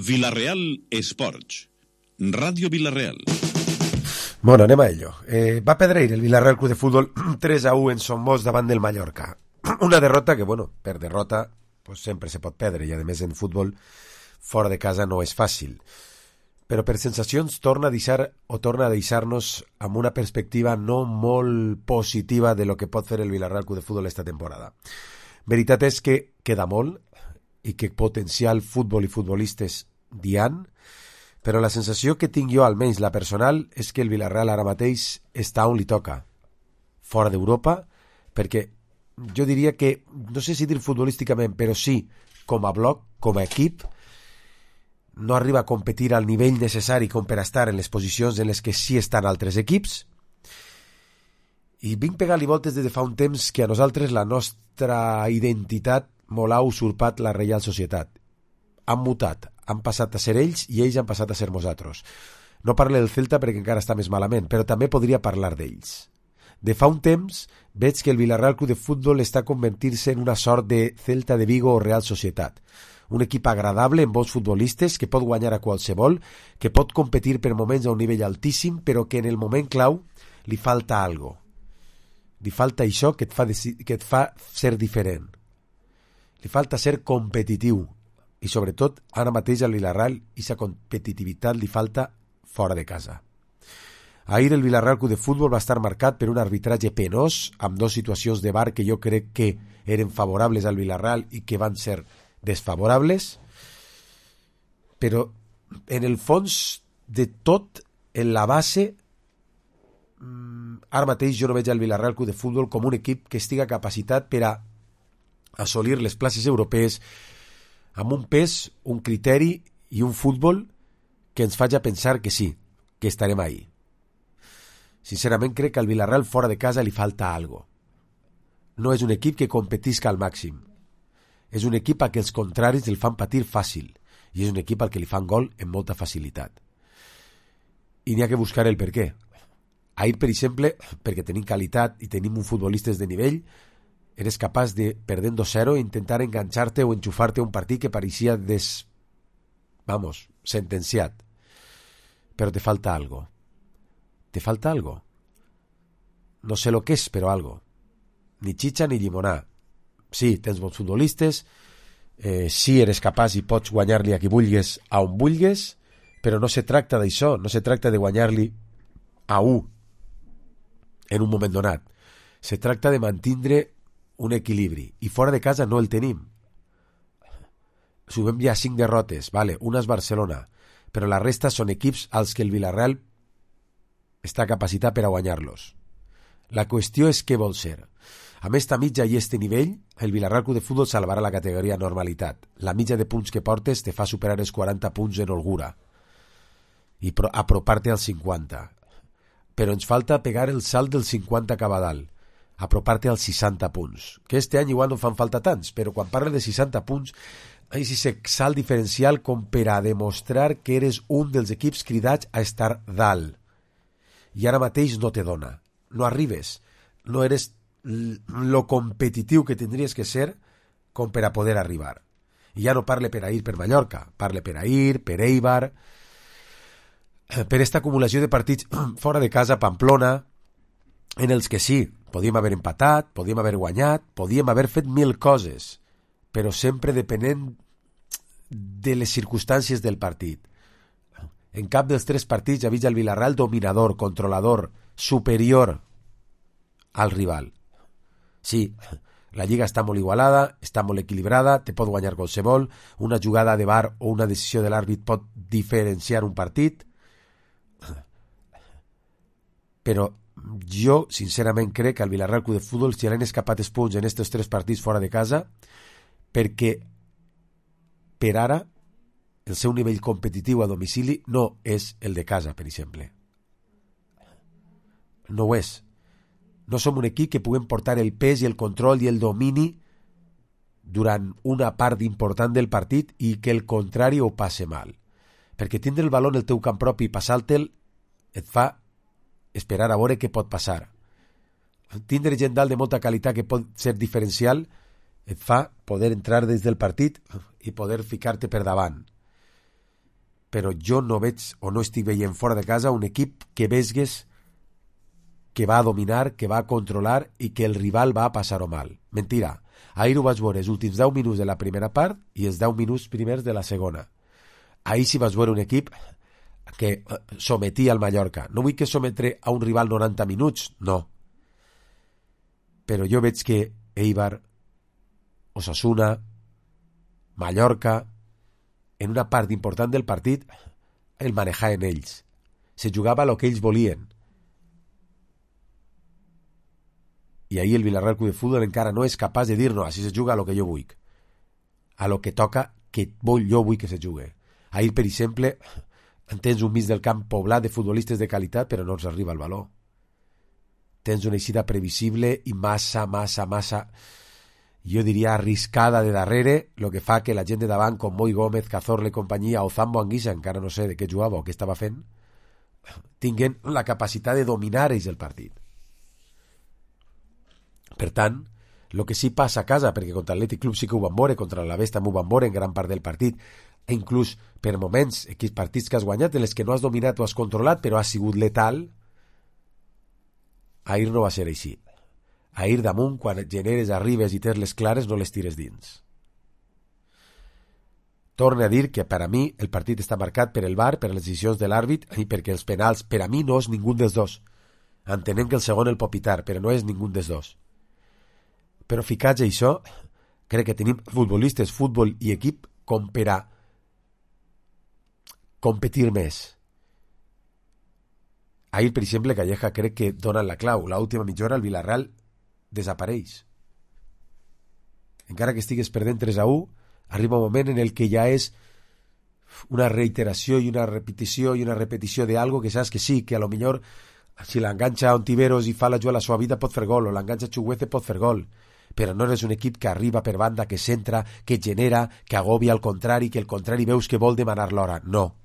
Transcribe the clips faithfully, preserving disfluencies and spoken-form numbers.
Vila-real Esports. Ràdio Vila-real. Bueno, anem a ello. Eh, va perdre el Vila-real Club de Futbol tres a u en Somos davant del Mallorca. Una derrota que, bueno, per derrota pues sempre se pot perdre, i a més en futbol fora de casa no és fàcil. Però per sensacions torna a deixar o torna a deixar-nos amb una perspectiva no molt positiva de lo que pot fer el Vila-real Club de Futbol esta temporada. Veritat és que queda molt i que potencial futbol i futbolistes n'hi ha, però la sensació que tinc jo, almenys la personal, és que el Vila-real ara mateix està on li toca, fora d'Europa, perquè jo diria que, no sé si dir futbolísticament, però sí, com a bloc, com a equip, no arriba a competir al nivell necessari com per estar en les posicions en les que sí estan altres equips, i vinc pegant-li voltes des de fa un temps que a nosaltres la nostra identitat molt ha usurpat la Reial Societat. Han mutat, han passat a ser ells i ells han passat a ser nosaltres. No parlo del Celta perquè encara està més malament, però també podria parlar d'ells. De fa un temps veig que el Vila-real Club de Futbol està convertint-se en una sort de Celta de Vigo o Real Societat. Un equip agradable amb bons futbolistes que pot guanyar a qualsevol, que pot competir per moments a un nivell altíssim, però que en el moment clau li falta algo. Li falta això que et fa, que et fa ser diferent. Li falta ser competitiu. I sobretot, ara mateix al Vila-real, aquesta competitivitat li falta fora de casa. Ahir el Vila-real Club de Futbol va estar marcat per un arbitratge penós, amb dues situacions de V A R que jo crec que eren favorables al Vila-real i que van ser desfavorables, però en el fons de tot, en la base, ara mateix jo no veig al Vila-real Club de Futbol com un equip que estiga capacitat per a assolir les places europees amb un pes, un criteri i un futbol que ens faci pensar que sí, que estarem ahí. Sincerament crec que al Vila-real fora de casa li falta algo. No és un equip que competisca al màxim. És un equip a què els contraris el fan patir fàcil i és un equip al que li fan gol amb molta facilitat. I n'hi ha que buscar el per què. Ahir, per exemple, perquè tenim qualitat i tenim un futbolistes de nivell, eres capaç de, perdent dos zero, intentar enganxar-te o enxufar-te un partit que pareixia des... vamos, sentenciat. Però te falta algo. Te falta algo. No sé lo que és, però algo. Ni chicha ni llimonar. Sí, tens bons futbolistes, eh, sí, eres capaç i pots guanyar-li a qui vulguis, a on vulguis, però no se tracta d'això, no se tracta de guanyar-li a u en un moment donat. Se tracta de mantindre un equilibri, i fora de casa no el tenim. Subem ja cinc derrotes, vale, una és Barcelona, però la resta són equips als que el Vila-real està capacitat per a guanyar-los. La qüestió és què vol ser. Amb esta mitja i este nivell, el Vila-real Club de Futbol salvarà la categoria normalitat. La mitja de punts que portes te fa superar els quaranta punts en holgura i apropar-te als cinquanta. Però ens falta pegar el salt del cinquanta cap a dalt, apropar-te als seixanta punts, que este any igual no fan falta tants, però quan parlen de seixanta punts, és aquest salt diferencial com per a demostrar que eres un dels equips cridats a estar dalt. I ara mateix no te dona. No arribes. No eres lo competitiu que tindries que ser com per a poder arribar. I ja no parle per a ir per Mallorca, parle per a ir, per Eibar, per esta acumulació de partits fora de casa, Pamplona, en els que sí, podíem haver empatat, podíem haver guanyat, podíem haver fet mil coses, però sempre depenent de les circumstàncies del partit. En cap dels tres partits ha vist el Vila-real dominador, controlador, superior al rival. Sí, la lliga està molt igualada, està molt equilibrada, te pot guanyar qualsevol, una jugada de V A R o una decisió de l'àrbit pot diferenciar un partit, però jo sincerament crec que el Vila-real Club de Futbol si han escapat els punts en aquests tres partits fora de casa perquè per ara el seu nivell competitiu a domicili no és el de casa, per exemple. No ho és. No som un equip que puguem portar el pes i el control i el domini durant una part important del partit i que el contrari ho passe mal. Perquè tindre el baló en el teu camp propi i passar-te'l et fa esperar a veure què pot passar. Tindre gent dalt de molta qualitat que pot ser diferencial et fa poder entrar des del partit i poder ficar-te per davant. però jo no veig o no estic veient fora de casa un equip que vesgues que va a dominar, que va a controlar i que el rival va a passar-ho mal. Mentira. Ahir ho vaig veure els últims deu minuts de la primera part i els deu minuts primers de la segona. Ahir sí vaig veure un equip que sometia al Mallorca. No vull que sometre a un rival noranta minuts, no. Però jo veig que Eibar, Osasuna, Mallorca, en una part important del partit, el manejaven ells. Se jugava el que ells volien. I ahir el Villarreal Club de Futbol encara no és capaç de dir no, així se juga a lo que jo vull. A lo que toca, que vull, jo vull que se jugue. Ahir, per exemple, tens un mig del camp poblat de futbolistes de qualitat, però no els arriba el valor. Tens una eixida previsible i massa, massa, massa, jo diria arriscada de darrere, el que fa que la gent de davant, com Moi Gómez, Cazorla i companyia, o Zambo Anguissa, encara no sé de què jugava o què estava fent, tinguen la capacitat de dominar ells el partit. Per tant, el que sí passa a casa, perquè contra l'Atlètic Club sí que ho van veure, contra l'Alavés també ho van veure en gran part del partit, e inclús per moments, aquells partits que has guanyat, en els que no has dominat o has controlat, però has sigut letal, ahir no va ser així. Ahir damunt, quan generes, arribes i tens les clares, no les tires dins. Torne a dir que per a mi el partit està marcat per el V A R, per les decisions de l'àrbit i perquè els penals, per a mi no és ningú dels dos. Entenem que el segon el pot pitar, però no és ningú dels dos. Però ficats a això, crec que tenim futbolistes, futbol i equip com per a competir més. Ahir, per exemple, Calleja crec que dona la clau. L'última mitja hora el Villarreal desapareix. Encara que estigues perdent tres a u, arriba un moment en el que ja és una reiteració i una repetició i una repetició d'algo que saps que sí, que a lo millor si l'enganxa Ontiveros i fa la jugada a la seva vida pot fer gol, o l'enganxa Chuguece pot fer gol, però no eres un equip que arriba per banda, que centra, que genera, que agobia al contrari, que el contrari veus que vol demanar l'hora. No.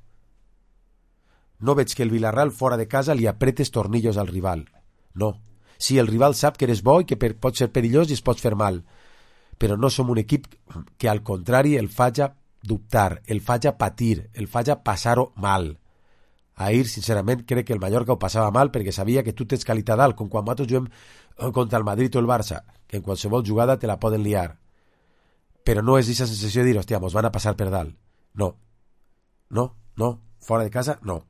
No veig que el Villarreal fora de casa li apretes tornillos al rival. No. Sí, el rival sap que eres bo i que per, pot ser perillós i es pot fer mal, però no som un equip que al contrari el faja dubtar, el faja patir, el faja passar-ho mal. Ahir, sincerament, crec que el Mallorca ho passava mal perquè sabia que tu tens qualitat dalt, com quan nosaltres juguem contra el Madrid o el Barça, que en qualsevol jugada te la poden liar. Però no és aquesta sensació de dir, hòstia, mos van a passar per dalt. No. No, no. Fora de casa, no.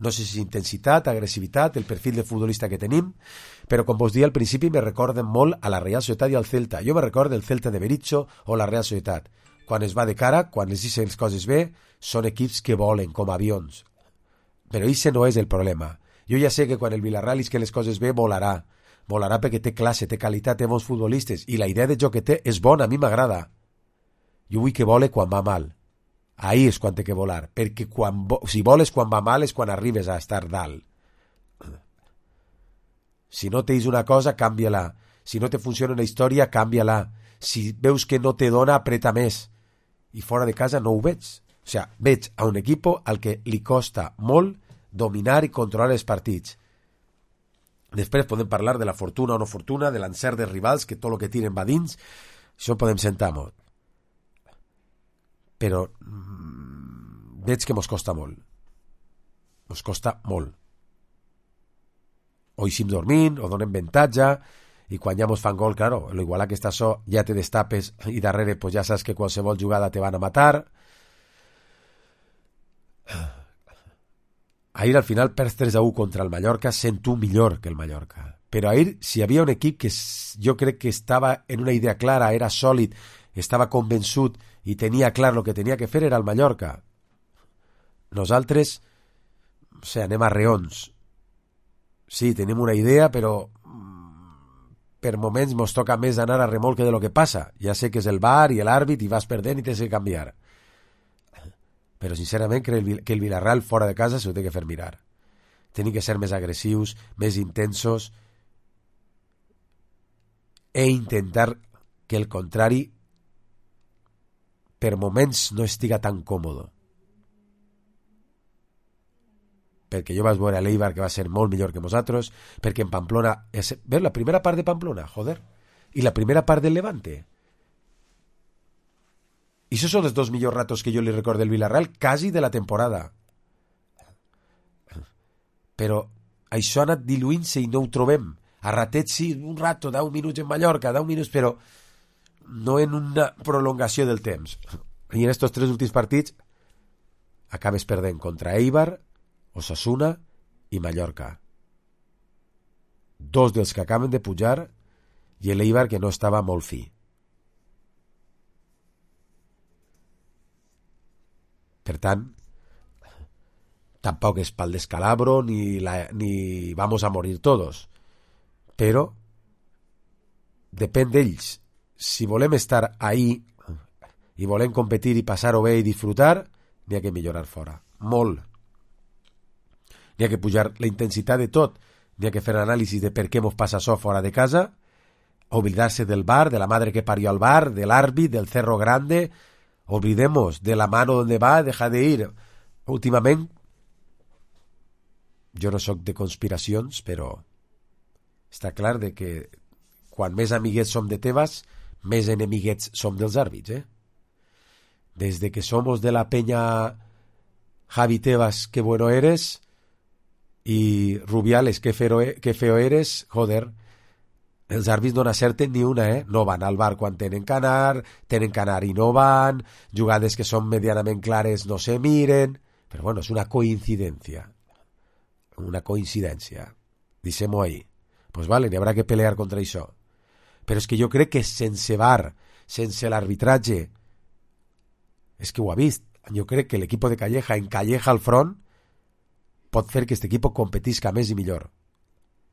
No sé si és intensitat, agressivitat, el perfil de futbolista que tenim, però com vos dia al principi me recorden molt a la Real Societat i al Celta. Jo me recordo el Celta de Berizzo o la Real Societat. Quan es va de cara, quan les dicen les coses bé, són equips que volen, com avions. Però això no és el problema. Jo ja sé que quan el Villarreal és que les coses bé, volarà. Volarà perquè té classe, té qualitat, té bons futbolistes, i la idea de joc que té és bona, a mi m'agrada. Jo vull que vole quan va mal. Ahí és quan té que volar, perquè quan vo si voles quan va mal és quan arribes a estar dalt. Si no tens una cosa, canvia-la. Si no te funciona una història, canvia-la. Si veus que no te dona, apreta més. I fora de casa no ho veig. O sigui, veig a un equip al que li costa molt dominar i controlar els partits. Després podem parlar de la fortuna o no fortuna, de l'encert dels rivals, que tot el que tiren va dins. Això podem sentar molt. Però mmm, veig que mos costa molt. Mos costa molt. O eixim dormint, o donem avantatge, i quan ja mos fan gol, claro, l'igual que està so, ja te destapes, i darrere pues ja saps que qualsevol jugada te van a matar. Ahir al final perds tres a u contra el Mallorca, sent tu millor que el Mallorca. Però ahir, si hi havia un equip que jo crec que estava en una idea clara, era sòlid, estava convençut i tenia clar el que tenia que fer, era el Mallorca. Nosaltres, o sigui, anem a reons. Sí, tenim una idea, però per moments mos toca més anar a remolque de lo que passa. Ja sé que és el V A R i l'àrbit i vas perdent i tens que canviar. Però sincerament crec que el Villarreal fora de casa s'ho té que fer mirar. Tenim que ser més agressius, més intensos e intentar que el contrari per moments no estiga tan còmode. Perquè jo vaig veure a l'Eibar que va ser molt millor que nosaltres, perquè en Pamplona... Veus la primera part de Pamplona? Joder. I la primera part del Levante. I això són els dos millors ratos que jo li recordo del Villarreal, quasi de la temporada. Però això ha anat diluint-se i no ho trobem. A ratets sí, un rato, deu minuts en Mallorca, deu minuts, però no en una prolongació del temps. I en estos tres últims partits acabes perdent contra Eibar, Osasuna i Mallorca. Dos dels que acaben de pujar i l'Eibar que no estava molt fi. Per tant, tampoc és pal descalabro ni, la, ni vamos a morir todos. Però depèn d'ells. Si volem estar ahí i volem competir i passar-ho bé i disfrutar, n'hi ha que millorar fora. Molt. N'hi ha que pujar la intensitat de tot. N'hi ha que fer anàlisis de per què mos passa això fora de casa, oblidar-se del bar, de la madre que parió al bar, del árbit, del cerro grande. Olvidemos de la mano donde va, deja de ir. Últimament, jo no sóc de conspiracions, però està clar de que quan més amiguets som de Tebas, més enemiguets som dels àrbits, eh? Des de que somos de la peña Javi Tebas, que bueno eres, i Rubiales, que feo, que feo eres, joder, els àrbits no n'acerten ni una, eh? No van al bar quan tenen que anar, tenen que anar i no van, jugades que són medianament clares no se miren, però bueno, és una coincidència. Una coincidència. Deixem-ho ahí. Pues vale, n'hi haurà que pelear contra això. Però és que jo crec que sense bar, sense l'arbitratge, és que ho ha vist, jo crec que l'equip de Calleja, en Calleja al front, pot fer que aquest equip competisca més i millor.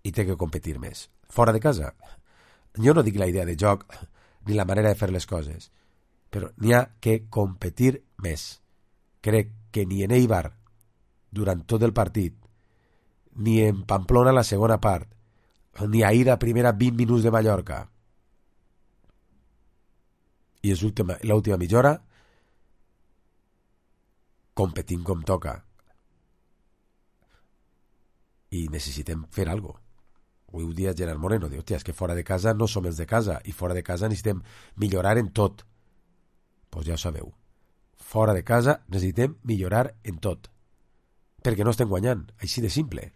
I té que competir més. Fora de casa. Jo no dic la idea de joc ni la manera de fer les coses, però n'hi ha que competir més. Crec que ni en Eibar durant tot el partit, ni en Pamplona la segona part, ni ahir a primera vint minuts de Mallorca, i és l'última mitja hora competint com toca. I necessitem fer alguna cosa. Avui ho dia Gerard Moreno, diu, hòstia, és que fora de casa no som els de casa, i fora de casa necessitem millorar en tot. Doncs pues ja ho sabeu. Fora de casa necessitem millorar en tot. Perquè no estem guanyant, així de simple.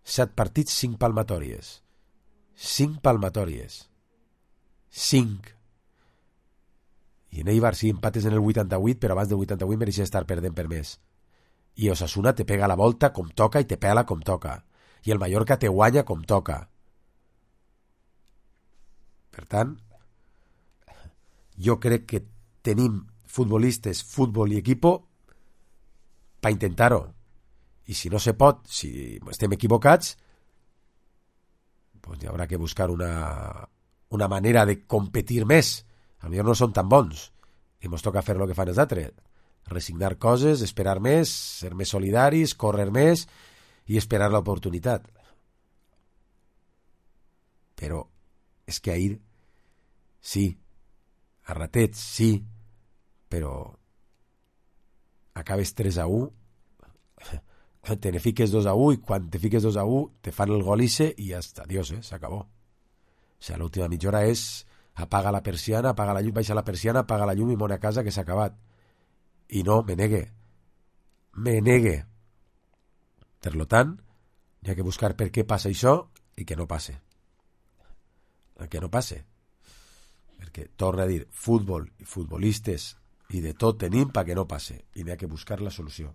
Set partits, cinc palmatòries. Cinc palmatòries. Cinc. I en Eibar sí empates en el vuitanta-vuit, però abans del vuitanta-vuit mereixia estar perdent per més. I Osasuna te pega la volta com toca i te pela com toca. I el Mallorca te guanya com toca. Per tant, jo crec que tenim futbolistes, futbol i equipo per intentar-ho. I si no se pot, si estem equivocats, pues hi haurà que buscar una, una manera de competir més. A millor no són tan bons i ens toca fer el que fan els altres. Resignar coses, esperar més, ser més solidaris, córrer més i esperar l'oportunitat. Però és que ahir sí, a ratets sí, però acabes tres a u, te ne fiques dos a u i quan te fiques dos a u te fan el gol ise i ja està, adiós, eh? S'acabó. O sigui, l'última mitja hora és apaga la persiana, apaga la llum, baixa la persiana, apaga la llum i mona a casa que s'ha acabat. I no, me negue. Me negue. Per tant, hi ha que buscar per què passa això i que no passe. Que no passe. Perquè, torna a dir, futbol i futbolistes i de tot tenim perquè no passe. I n'hi ha que buscar la solució.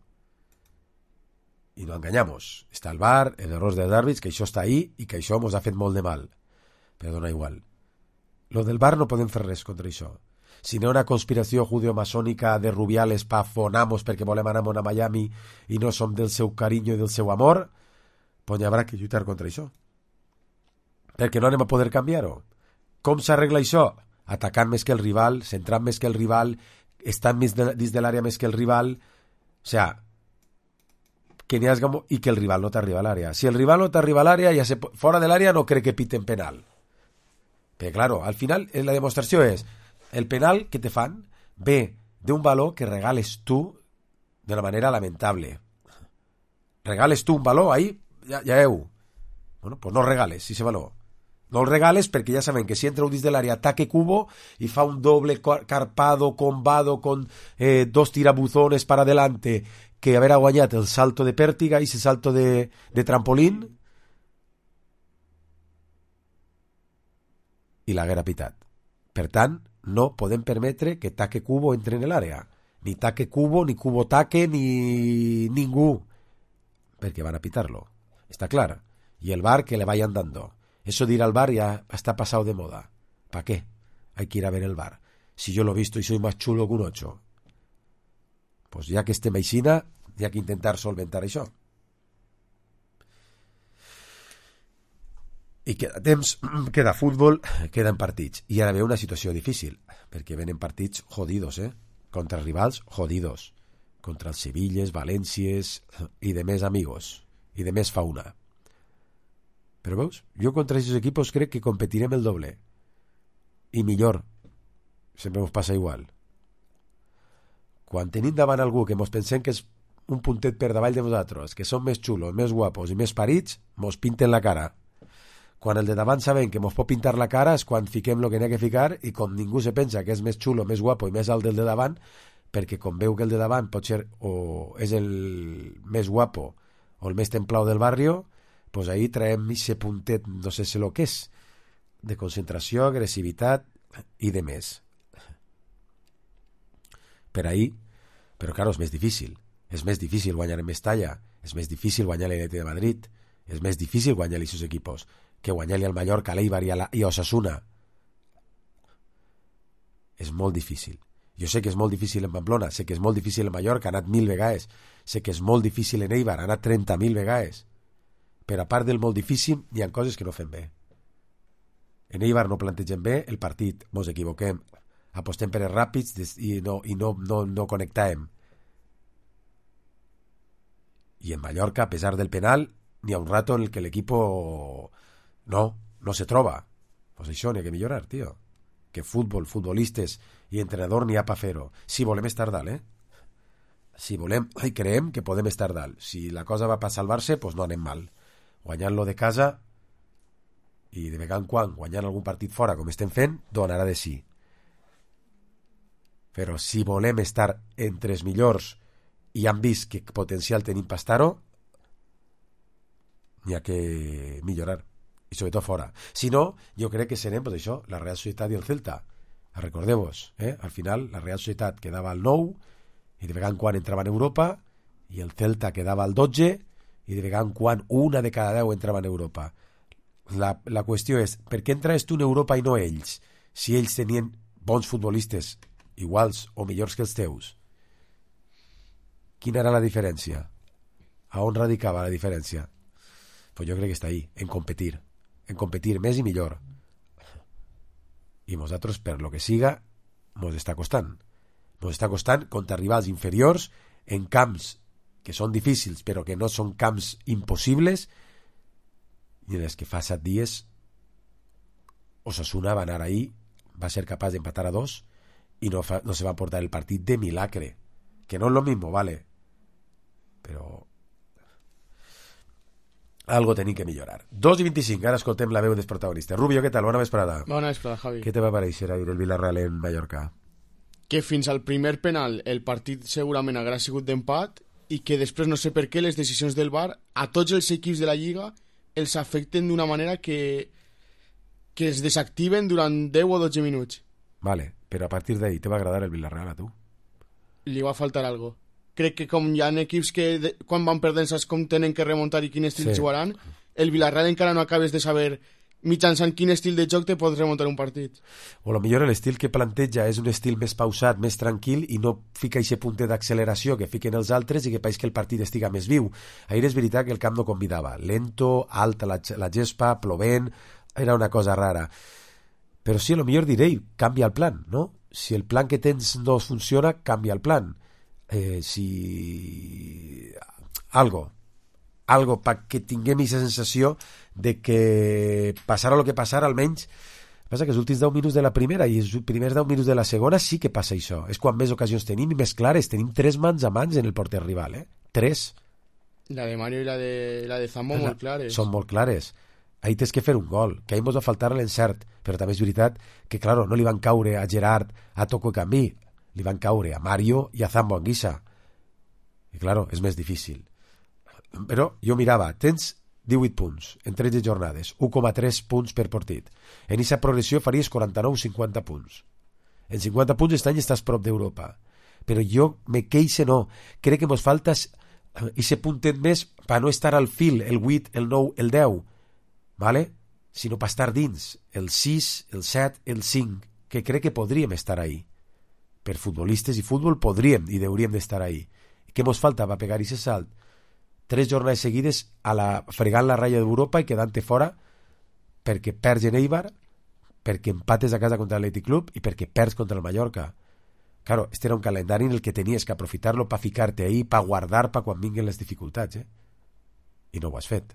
I no enganyamos. Està el bar, els errors dels àrbits, que això està ahí i que això ens ha fet molt de mal. Però dona igual. Lo del bar no podem fer res contra això. Si no hi ha una conspiració judeo-masònica de Rubiales pa fonamos perquè volem anar a Miami i no som del seu carinyo i del seu amor, doncs hi haurà que lluitar contra això. Perquè no anem a poder canviar-ho. Com s'arregla això? Atacant més que el rival, centrant més que el rival, estant més de, dins de l'àrea més que el rival. O sea, que n'hi hagi, i que el rival no t'arriba a l'àrea. Si el rival no t'arriba a l'àrea, ja se, fora de l'àrea no crec que piten penal. Però, claro, al final la demostració és el penal que te fan ve d'un valor que regales tu de una manera lamentable. Regales tu un valor ahí, ja, ja heu. Bueno, pues no regales ese valor. No el regales perquè ja sabem que si entra un dins de l'àrea ataque Cubo i fa un doble carpado, combado, con eh, dos tirabuzones para adelante, que haver guanyat el salto de pèrtiga i ese salto de, de trampolín i l'haguera pitat. Per tant, no podem permetre que Taque Cubo entre en l'àrea. Ni Taque Cubo, ni Cubo Taque, ni ningú. Perquè van a pitarlo. Està clar. Y el V A R que le vayan dando. Eso de ir al V A R ya está pasado de moda. ¿Para qué? Hay que ir a ver el V A R. Si yo lo he visto y soy más chulo que un ocho. Pues ya que estem aixina, hi ha que intentar solventar això. I queda temps, queda futbol, queden partits. I ara ve una situació difícil, perquè venen partits jodidos, eh? Contra rivals jodidos. Contra els Sevilles, Valències i de més amigos. I de més fauna. Però veus, jo contra aquests equipos crec que competirem el doble. I millor. Sempre ens passa igual. Quan tenim davant algú que mos pensem que és un puntet per davall de nosaltres, que són més xulos, més guapos i més parits, mos pinten la cara. Quan el de davant sabem que mos pot pintar la cara és quan fiquem el que n'hi ha que ficar i com ningú se pensa que és més xulo, més guapo i més alt del de davant, perquè com veu que el de davant pot ser o és el més guapo o el més templau del barrio, pues ahí traem ese puntet, no sé si lo que és, de concentració, agressivitat i de més. Per ahí, però claro, és més difícil. És més difícil guanyar en Mestalla, és més difícil guanyar l'Atlètic de Madrid, és més difícil guanyar els seus equipos que guanyar-li al Mallorca, a l'Eibar i a, la, i a Osasuna. És molt difícil. Jo sé que és molt difícil en Pamplona, sé que és molt difícil en Mallorca, ha anat mil vegades, sé que és molt difícil en Eibar, ha anat trenta mil vegades. Però a part del molt difícil, hi ha coses que no fem bé. En Eibar no plantegem bé el partit, mos equivoquem, apostem per els ràpids i no, i no, no, no connectàvem. I en Mallorca, a pesar del penal, n'hi ha un rato en el que l'equipo no, no se troba. Pues això n'hi ha que millorar, tio. Que futbol, futbolistes i entrenador n'hi ha pa fer-ho. Si volem estar dalt, eh? Si volem, i creiem que podem estar dalt. Si la cosa va per salvar-se, pues no anem mal. Guanyant-lo de casa i de vegada en quan guanyant algun partit fora, com estem fent, donarà de sí. Però si volem estar entre els millors i han vist que potencial tenim per estar-ho, n'hi ha que millorar. I sobretot fora. Si no, jo crec que serem, pues això, la Real Societat i el Celta. Recordeu-vos, eh? Al final la Real Societat quedava al nou i de vegada en quan entrava en Europa i el Celta quedava al dotze i de vegada en quan una de cada deu entrava en Europa. La, la qüestió és, per què entraves tu en Europa i no ells? Si ells tenien bons futbolistes iguals o millors que els teus. Quina era la diferència? A on radicava la diferència? Pues jo crec que està ahí, en competir. En competir més i millor. I nosaltres, per lo que siga, mos està costant. Mos està costant contra rivals inferiors en camps que són difícils, però que no són camps impossibles, i en els que fa set dies Osasuna va anar ahí, va ser capaç d'empatar a dos i no, fa, no se va portar el partit de milagre. Que no és lo mismo, vale? Però algo tenim que millorar. dos i vint-i-cinc, ara escoltem la veu dels protagonistes. Rubio, què tal? Bona vesprada. Bona vesprada, Javi. Què te va pareixer ahir el Villarreal en Mallorca? Que fins al primer penal el partit segurament haurà sigut d'empat i que després no sé per què les decisions del V A R a tots els equips de la Lliga els afecten d'una manera que que es desactiven durant deu o dotze minuts. Vale, però a partir d'ahí te va agradar el Villarreal a tu? Li va faltar algo. Crec que com hi ha equips que de, quan van perdent saps com tenen que remuntar i quin estil sí. jugaran, el Villarreal encara no acabes de saber mitjançant quin estil de joc te pots remuntar un partit. O lo millor l'estil que planteja és un estil més pausat, més tranquil i no fica aquest punt d'acceleració que fiquen els altres i que pareix que el partit estiga més viu. Ahir és veritat que el camp no convidava. Lento, alta la, la gespa, plovent, era una cosa rara. Però sí, a lo millor diré, canvia el plan, no? Si el plan que tens no funciona, canvia el plan. Eh, si... Algo. Algo perquè tinguem aquesta sensació de que passarà el que passarà, almenys passa que els últims deu minuts de la primera i els primers deu minuts de la segona sí que passa això, és quan més ocasions tenim i més clares, tenim tres mans a mans en el porter rival, eh? Tres. La de Mario i la de, la de Zambo molt clares. Són molt clares. ahir tens que fer un gol, que ahir mos va faltar l'encert, però també és veritat que, claro, no li van caure a Gerard, a Toko Cambí, li van caure a Mario i a Zambo Anguissa. I, claro, és més difícil. Però jo mirava, tens divuit punts en tretze jornades, u coma tres punts per partit. En aquesta progressió faries quaranta-nou o cinquanta punts. En cinquanta punts aquest any estàs prop d'Europa. Però jo me queixe no. Crec que mos falta ese puntet més per no estar al fil, el vuit, el nou, el deu, ¿vale? Sinó per estar dins, el sis, el set, el cinc, que crec que podríem estar ahí. Per futbolistes i futbol podríem i hauríem d'estar ahí. Què mos falta per pegar aquest salt? Tres jornades seguides a la, fregant la ratlla d'Europa i quedant-te fora perquè perds en Eibar, perquè empates a casa contra l'Atlètic Club i perquè perds contra el Mallorca. Claro, este era un calendari en el que tenies que aprofitar-lo per ficar-te ahí, per guardar per quan vinguin les dificultats, eh? I no ho has fet.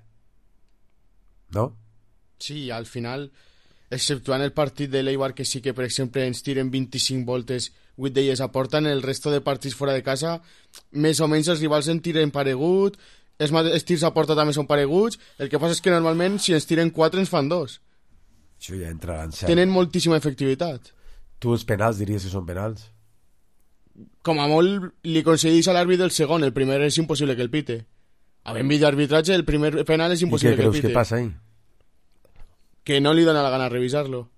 No? Sí, al final, exceptuant el partit de l'Eibar, que sí que, per exemple, ens tiren vint-i-cinc voltes, vuit d'elles aporten, el resto de partits fora de casa, més o menys els rivals en tiren paregut, els, els tirs a porta també són pareguts, el que passa és que normalment si ens tiren quatre ens fan dos. Això ja entra a l'encert. Tenen moltíssima efectivitat. Tu els penals diries que són penals? Com a molt li concedís a l'àrbit del segon, el primer és impossible que el pite. Havent vist arbitratge, el primer penal és impossible que el pite. I què creus que passa ahí? Que no li dona la gana revisar-lo.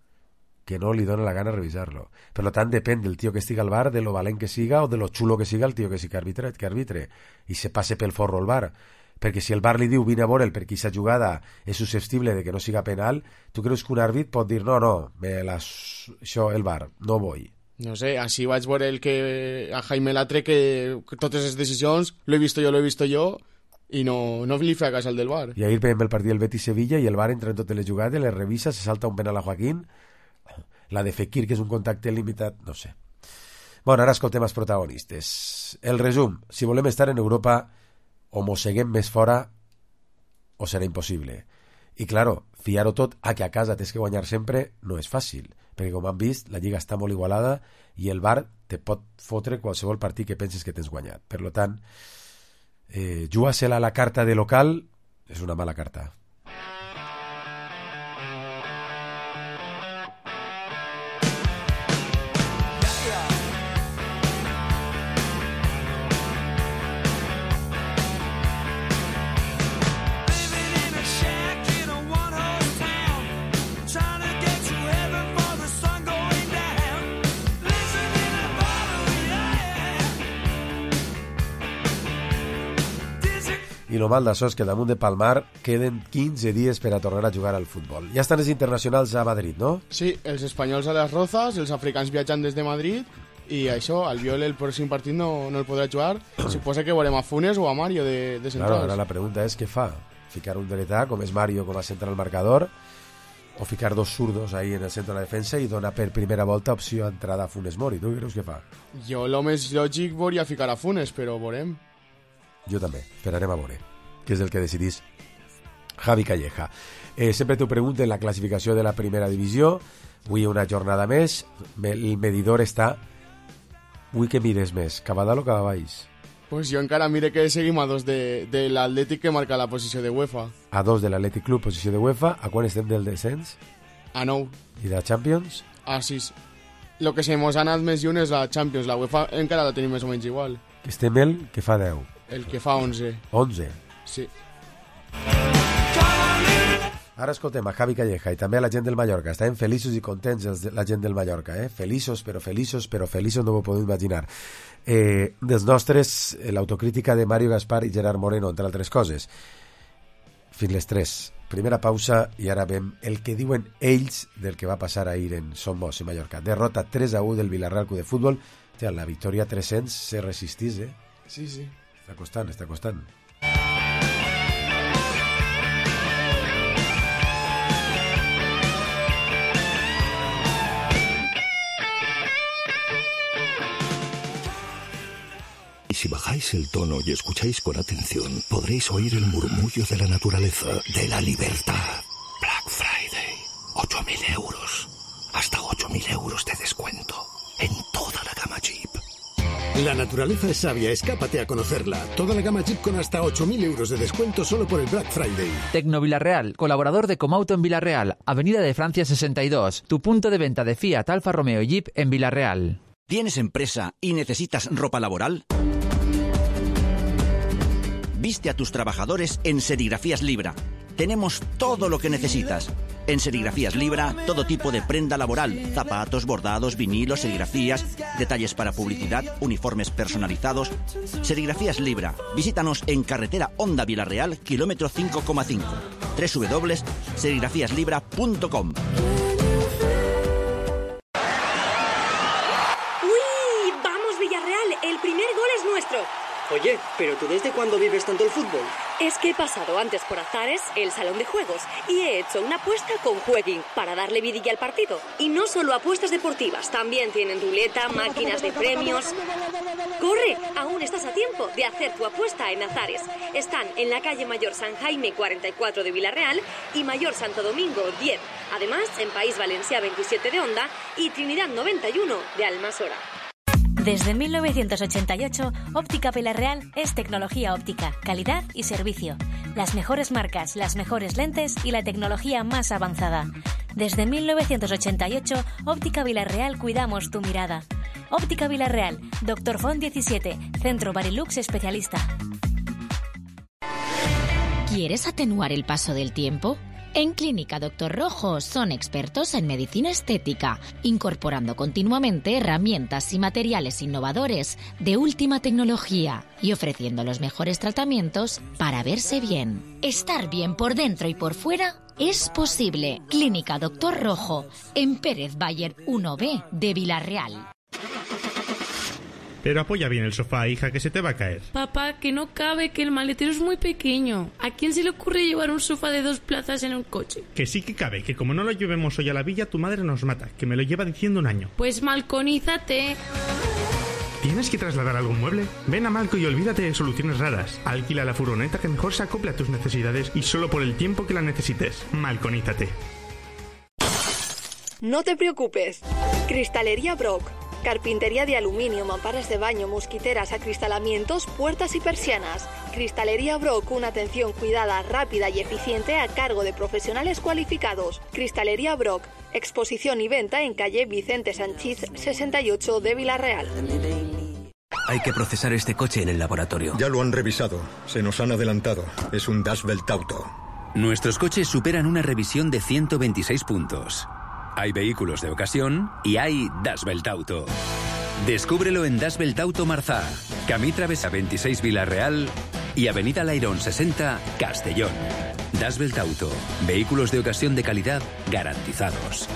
Que no li dona la gana revisar-lo. Per tant, depèn del tio que estigui al bar, de lo valent que siga o de lo xulo que siga el tio que sí que arbitre, que arbitre i se passe pel forro al bar. Perquè si el bar li diu vine a veure'l perquè aquesta jugada és susceptible de que no siga penal, tu creus que un àrbit pot dir no, no, me la... això, el bar, no vull. No sé, així vaig veure el que a Jaime Latre que totes les decisions lo he visto jo, lo he visto jo i no, no li fa cas al del bar. I ahir veiem el partit del Betis-Sevilla i el bar entra en totes les jugades, les revisa, se salta un penal a Joaquín, la de Fekir, que és un contacte limitat, no sé. Bueno, ara escoltem els protagonistes. El resum, si volem estar en Europa o mosseguem més fora o serà impossible. I, claro, fiar-ho tot a que a casa tens que guanyar sempre no és fàcil, perquè, com han vist, la lliga està molt igualada i el bar te pot fotre qualsevol partit que penses que tens guanyat. Per tant, eh, jugar-se-la a la carta de local és una mala carta. I el mal d'això és que damunt de Palmar queden quinze dies per a tornar a jugar al futbol. Ja estan els internacionals a Madrid, no? Sí, els espanyols a les Rozas, els africans viatjant des de Madrid i això, Albiol el pròxim partit no, no el podrà jugar. Suposa que veurem a Funes o a Mario de, de centrals. Claro, ara la pregunta és què fa? Ficar un dretà, com és Mario, com a central marcador, o ficar dos zurdos ahí en el centre de la defensa i donar per primera volta opció a entrada a Funes Mori. Tu creus què fa? Jo el més lògic volia ficar a Funes, però veurem. Jo també, esperarem a veure, que és el que decidís Javi Calleja. Eh, sempre t'ho pregunten la classificació de la primera divisió. Avui una jornada més, el medidor està... Vull que mires més, cap a dalt o cap a baix? Pues jo encara mire que seguim a dos de, de l'Atlètic que marca la posició de UEFA. A dos de l'Atlètic Club, posició de UEFA. A quan estem del descens? A nou. I de la Champions? A sis. Lo que se mos ha anat més lluny és la Champions. La UEFA encara la tenim més o menys igual. Estem el que fa deu. El que fa onze. onze? Sí. Ara escoltem a Javi Calleja i també a la gent del Mallorca. Estaven feliços i contents els de, la gent del Mallorca, eh? Feliços, però feliços, però feliços no ho podeu imaginar. Eh, dels nostres, l'autocrítica de Mario Gaspar i Gerard Moreno, entre altres coses. Fins les tres. Primera pausa i ara veiem el que diuen ells del que va passar ahir en Son Moix, en Mallorca. Derrota tres a u del Villarreal Club de Futbol. Hòstia, la victòria tres-cents se resistís, eh? Sí, sí. Està costant, està costant. Si bajáis el tono y escucháis con atención, podréis oír el murmullo de la naturaleza, de la libertad. Black Friday, ocho mil euros. Hasta ocho mil euros de descuento en toda la gama Jeep. La naturaleza es sabia, escápate a conocerla. Toda la gama Jeep con hasta ocho mil euros de descuento solo por el Black Friday. Tecno Villarreal, colaborador de Comauto en Villarreal, Avenida de Francia sesenta y dos, tu punto de venta de Fiat, Alfa Romeo y Jeep en Villarreal. ¿Tienes empresa y necesitas ropa laboral? Viste a tus trabajadores en Serigrafías Libra. Tenemos todo lo que necesitas. En Serigrafías Libra, todo tipo de prenda laboral, zapatos, bordados, vinilos, serigrafías, detalles para publicidad, uniformes personalizados. Serigrafías Libra. Visítanos en carretera Honda Villarreal, kilómetro cinco coma cinco. doble u doble u doble u punto serigrafías libra punto com. ¡Uy! ¡Vamos, Villarreal! El primer gol es nuestro. Oye, ¿pero tú desde cuándo vives tanto el fútbol? Es que he pasado antes por Azares, el salón de juegos, y he hecho una apuesta con Jueguin para darle vidilla al partido. Y no solo apuestas deportivas, también tienen ruleta, máquinas de premios. ¡Corre! Aún estás a tiempo de hacer tu apuesta en Azares. Están en la calle Mayor San Jaime cuarenta y cuatro de Villarreal y Mayor Santo Domingo diez. Además, en País Valencià veintisiete de Onda y Trinidad noventa y uno de Almasora. Desde mil novecientos ochenta y ocho, Óptica Villarreal es tecnología óptica, calidad y servicio. Las mejores marcas, las mejores lentes y la tecnología más avanzada. Desde mil novecientos ochenta y ocho, Óptica Villarreal cuidamos tu mirada. Óptica Villarreal, Doctor Font diecisiete, Centro Barilux especialista. ¿Quieres atenuar el paso del tiempo? En Clínica Doctor Rojo son expertos en medicina estética, incorporando continuamente herramientas y materiales innovadores de última tecnología y ofreciendo los mejores tratamientos para verse bien. Estar bien por dentro y por fuera es posible. Clínica Doctor Rojo, en Pérez Bayer uno B de Villarreal. Pero apoya bien el sofá, hija, que se te va a caer. Papá, que no cabe, que el maletero es muy pequeño. ¿A quién se le ocurre llevar un sofá de dos plazas en un coche? Que sí que cabe, que como no lo llevemos hoy a la villa, tu madre nos mata, que me lo lleva diciendo un año. Pues malconízate. ¿Tienes que trasladar algún mueble? Ven a Malco y olvídate de soluciones raras. Alquila la furgoneta que mejor se acople a tus necesidades y solo por el tiempo que la necesites. Malconízate. No te preocupes. Cristalería Brock. Carpintería de aluminio, mamparas de baño, mosquiteras, acristalamientos, puertas y persianas. Cristalería Brock, una atención cuidada, rápida y eficiente a cargo de profesionales cualificados. Cristalería Brock, exposición y venta en calle Vicente Sanchís sesenta y ocho de Villarreal. Hay que procesar este coche en el laboratorio. Ya lo han revisado, se nos han adelantado. Es un Das Belt Auto. Nuestros coches superan una revisión de ciento veintiséis puntos. Hay vehículos de ocasión y hay Das Belt Auto. Descúbrelo en Das Belt Auto Marzá, Camí Travesa veintiséis Villarreal y Avenida Lairón sesenta Castellón. Das Belt Auto, vehículos de ocasión de calidad garantizados.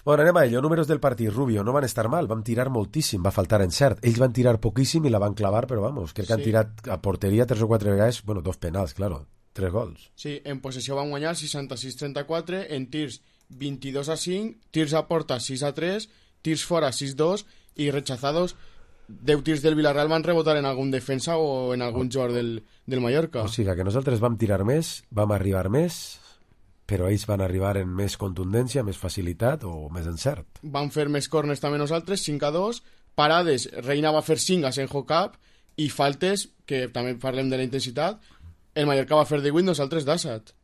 Bueno, anem a ello. Números del partit. Rubio, no van estar mal, van tirar moltíssim, va faltar encert. Ells van tirar poquíssim i la van clavar, però vamos, crec que han Sí. tirat a porteria tres o quatre vegades, bueno, dos penals, claro, tres gols. Sí, en possessió van guanyar seixanta-sis a trenta-quatre, en tirs vint-i-dos a cinc, tirs a porta sis a tres, tirs fora sis a dos i rechazados deu tirs del Villarreal van rebotar en algun defensa o en algun jugador del, del Mallorca. O sigui que nosaltres vam tirar més, vam arribar més, però ells van arribar en més contundència, més facilitat o més encert. Van fer més corners també nosaltres, cinc a dos, parades, Reina va fer cinc a Senjo Cap i faltes, que també parlem de la intensitat, el Mallorca va fer divuit, nosaltres d'Assat.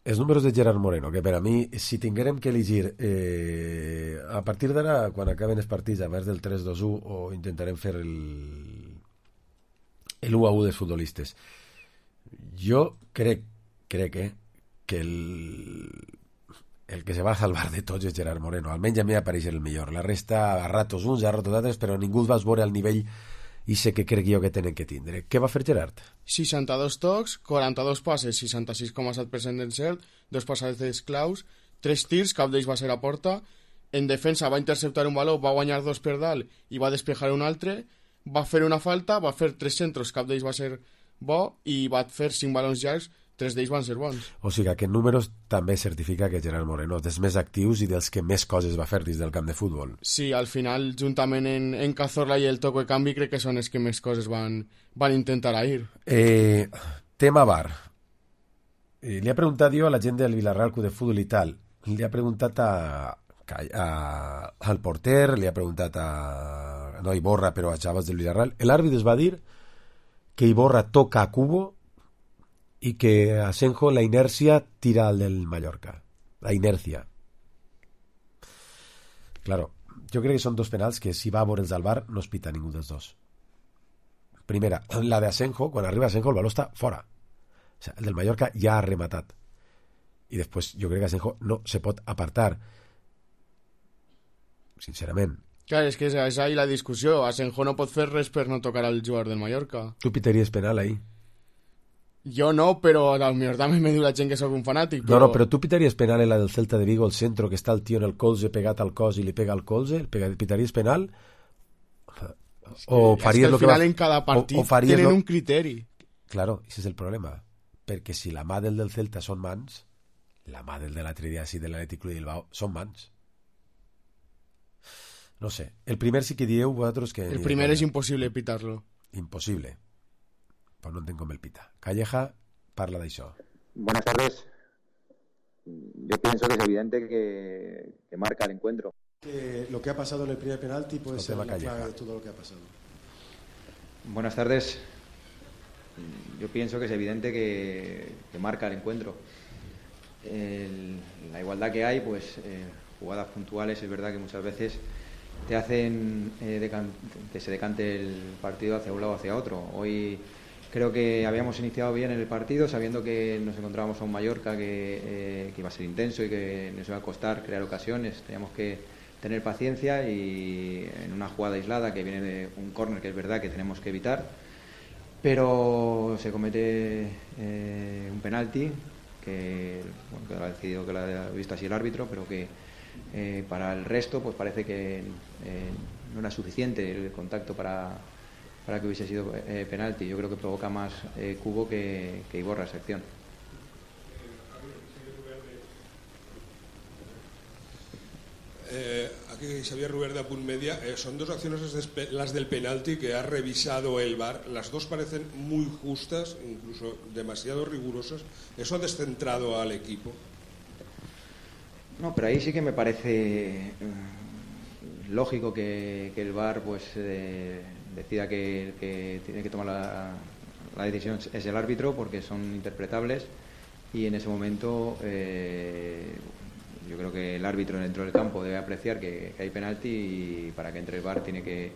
Els números de Gerard Moreno, que per a mi, si tinguérem que elegir eh, a partir d'ara, quan acaben els partits, a més del tres dos u, o intentarem fer el el u a u dels futbolistes, jo crec, crec eh, que el, el que se va a salvar de tots és Gerard Moreno, almenys a mi apareix el millor. La resta, a ratos uns, a ratos altres, però ningú els va veure al nivell i sé que crec jo que tenen que tindre. Què va fer Gerard? seixanta-dos tocs, quaranta-dos passes, seixanta-sis coma set per cent d'encert, dos passades claus, tres tirs, cap d'ells va ser a porta, en defensa va interceptar un baló, va guanyar dos per dalt i va despejar un altre, va fer una falta, va fer tres centros, cap d'ells va ser bo i va fer cinc balons llargs, tres d'ells van ser bons. O sigui que en números també certifica que Gerard Moreno és dels més actius i dels que més coses va fer dins del camp de futbol. Sí, al final, juntament en, en Cazorla i el Toco de Canvi, crec que són els que més coses van, van intentar a ir. Eh, tema V A R. Eh, li ha preguntat jo a la gent del Villarreal Club de Futbol i tal, li ha preguntat a a, al porter, li ha preguntat a no a Iborra però a Xavas del Villarreal. L'àrbit es va dir que Iborra toca a Cubo y que Asenjo la inercia tira al del Mallorca, la inercia. Claro, jo crec que són dos penals que si va a veure'ls al bar no es pita ningú dels dos. Primera, la de Asenjo, quan arriba Asenjo el baló està fora, o sea, el del Mallorca ja ha rematat i després jo crec que Asenjo no se pot apartar, sincerament. Clar, és que és ahí la discussió. Asenjo no pot fer res per no tocar al jugador del Mallorca. Tu pitaries penal ahí? Jo no, però a millor també me diu la gent que sóc un fanàtic. Però... No, no, però tu pitaries penal en la del Celta de Vigo, el centro, que està el tio en el colze pegat al cos i li pega al colze? El pitaries penal? O és faries que al lo que final va... en cada partit o, o tenen lo... un criteri. Claro, ese és el problema. Perquè si la mà del del Celta són mans, la mà del de l'altre dia sí de l'Atlètic Club de Bilbao són mans. No sé. El primer sí que dieu vosaltres que... El primer és impossible pitar-lo. Imposible. Pues no entenc com el pita. Calleja parla d'això. Buenas tardes. Yo pienso que es evidente que, que marca el encuentro. Que lo que ha pasado en el primer penalti puede ser la clave de todo lo que ha pasado. Buenas tardes. Yo pienso que es evidente que, que marca el encuentro. El, la igualdad que hay, pues eh, jugadas puntuales, es verdad que muchas veces te hacen eh, decan- que se decante el partido hacia un lado o hacia otro. Hoy creo que habíamos iniciado bien en el partido, sabiendo que nos encontrábamos a un Mallorca que, eh, que iba a ser intenso y que nos iba a costar crear ocasiones. Teníamos que tener paciencia y en una jugada aislada que viene de un córner que es verdad que tenemos que evitar, pero se comete eh, un penalti que, bueno, que lo ha decidido, que lo ha visto así el árbitro, pero que eh, para el resto pues parece que eh, no era suficiente el contacto para, para que hubiese sido eh, penalti. Yo creo que provoca más eh, Cubo que, que Iborra esa acción. Eh, aquí Xavier Ruber de Apunt Media, eh, son dos acciones las del penalti que ha revisado el V A R, las dos parecen muy justas, incluso demasiado rigurosas. ¿Eso ha descentrado al equipo? No, pero ahí sí que me parece eh, lógico que, que el V A R pues eh, decida que, que tiene que tomar la, la decisión es el árbitro, porque son interpretables, y en ese momento eh, yo creo que el árbitro dentro del campo debe apreciar que, que hay penalti, y para que entre el V A R tiene que,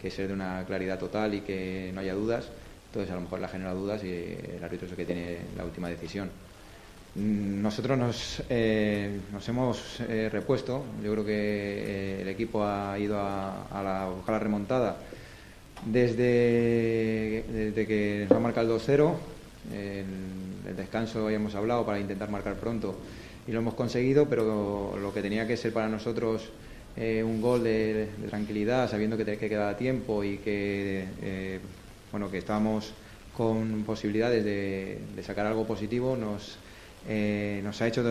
que ser de una claridad total y que no haya dudas. Entonces a lo mejor la genera dudas y el árbitro es el que tiene la última decisión. Nosotros nos, eh, nos hemos eh, repuesto. Yo creo que eh, el equipo ha ido a, a, la, a buscar la remontada desde, desde que nos ha marcado el dos cero. El, el descanso ya hemos hablado para intentar marcar pronto y lo hemos conseguido, pero lo que tenía que ser para nosotros eh, un gol de, de tranquilidad, sabiendo que, te, que quedaba tiempo y que eh, bueno que estábamos con posibilidades de, de sacar algo positivo, nos Eh, nos ha hecho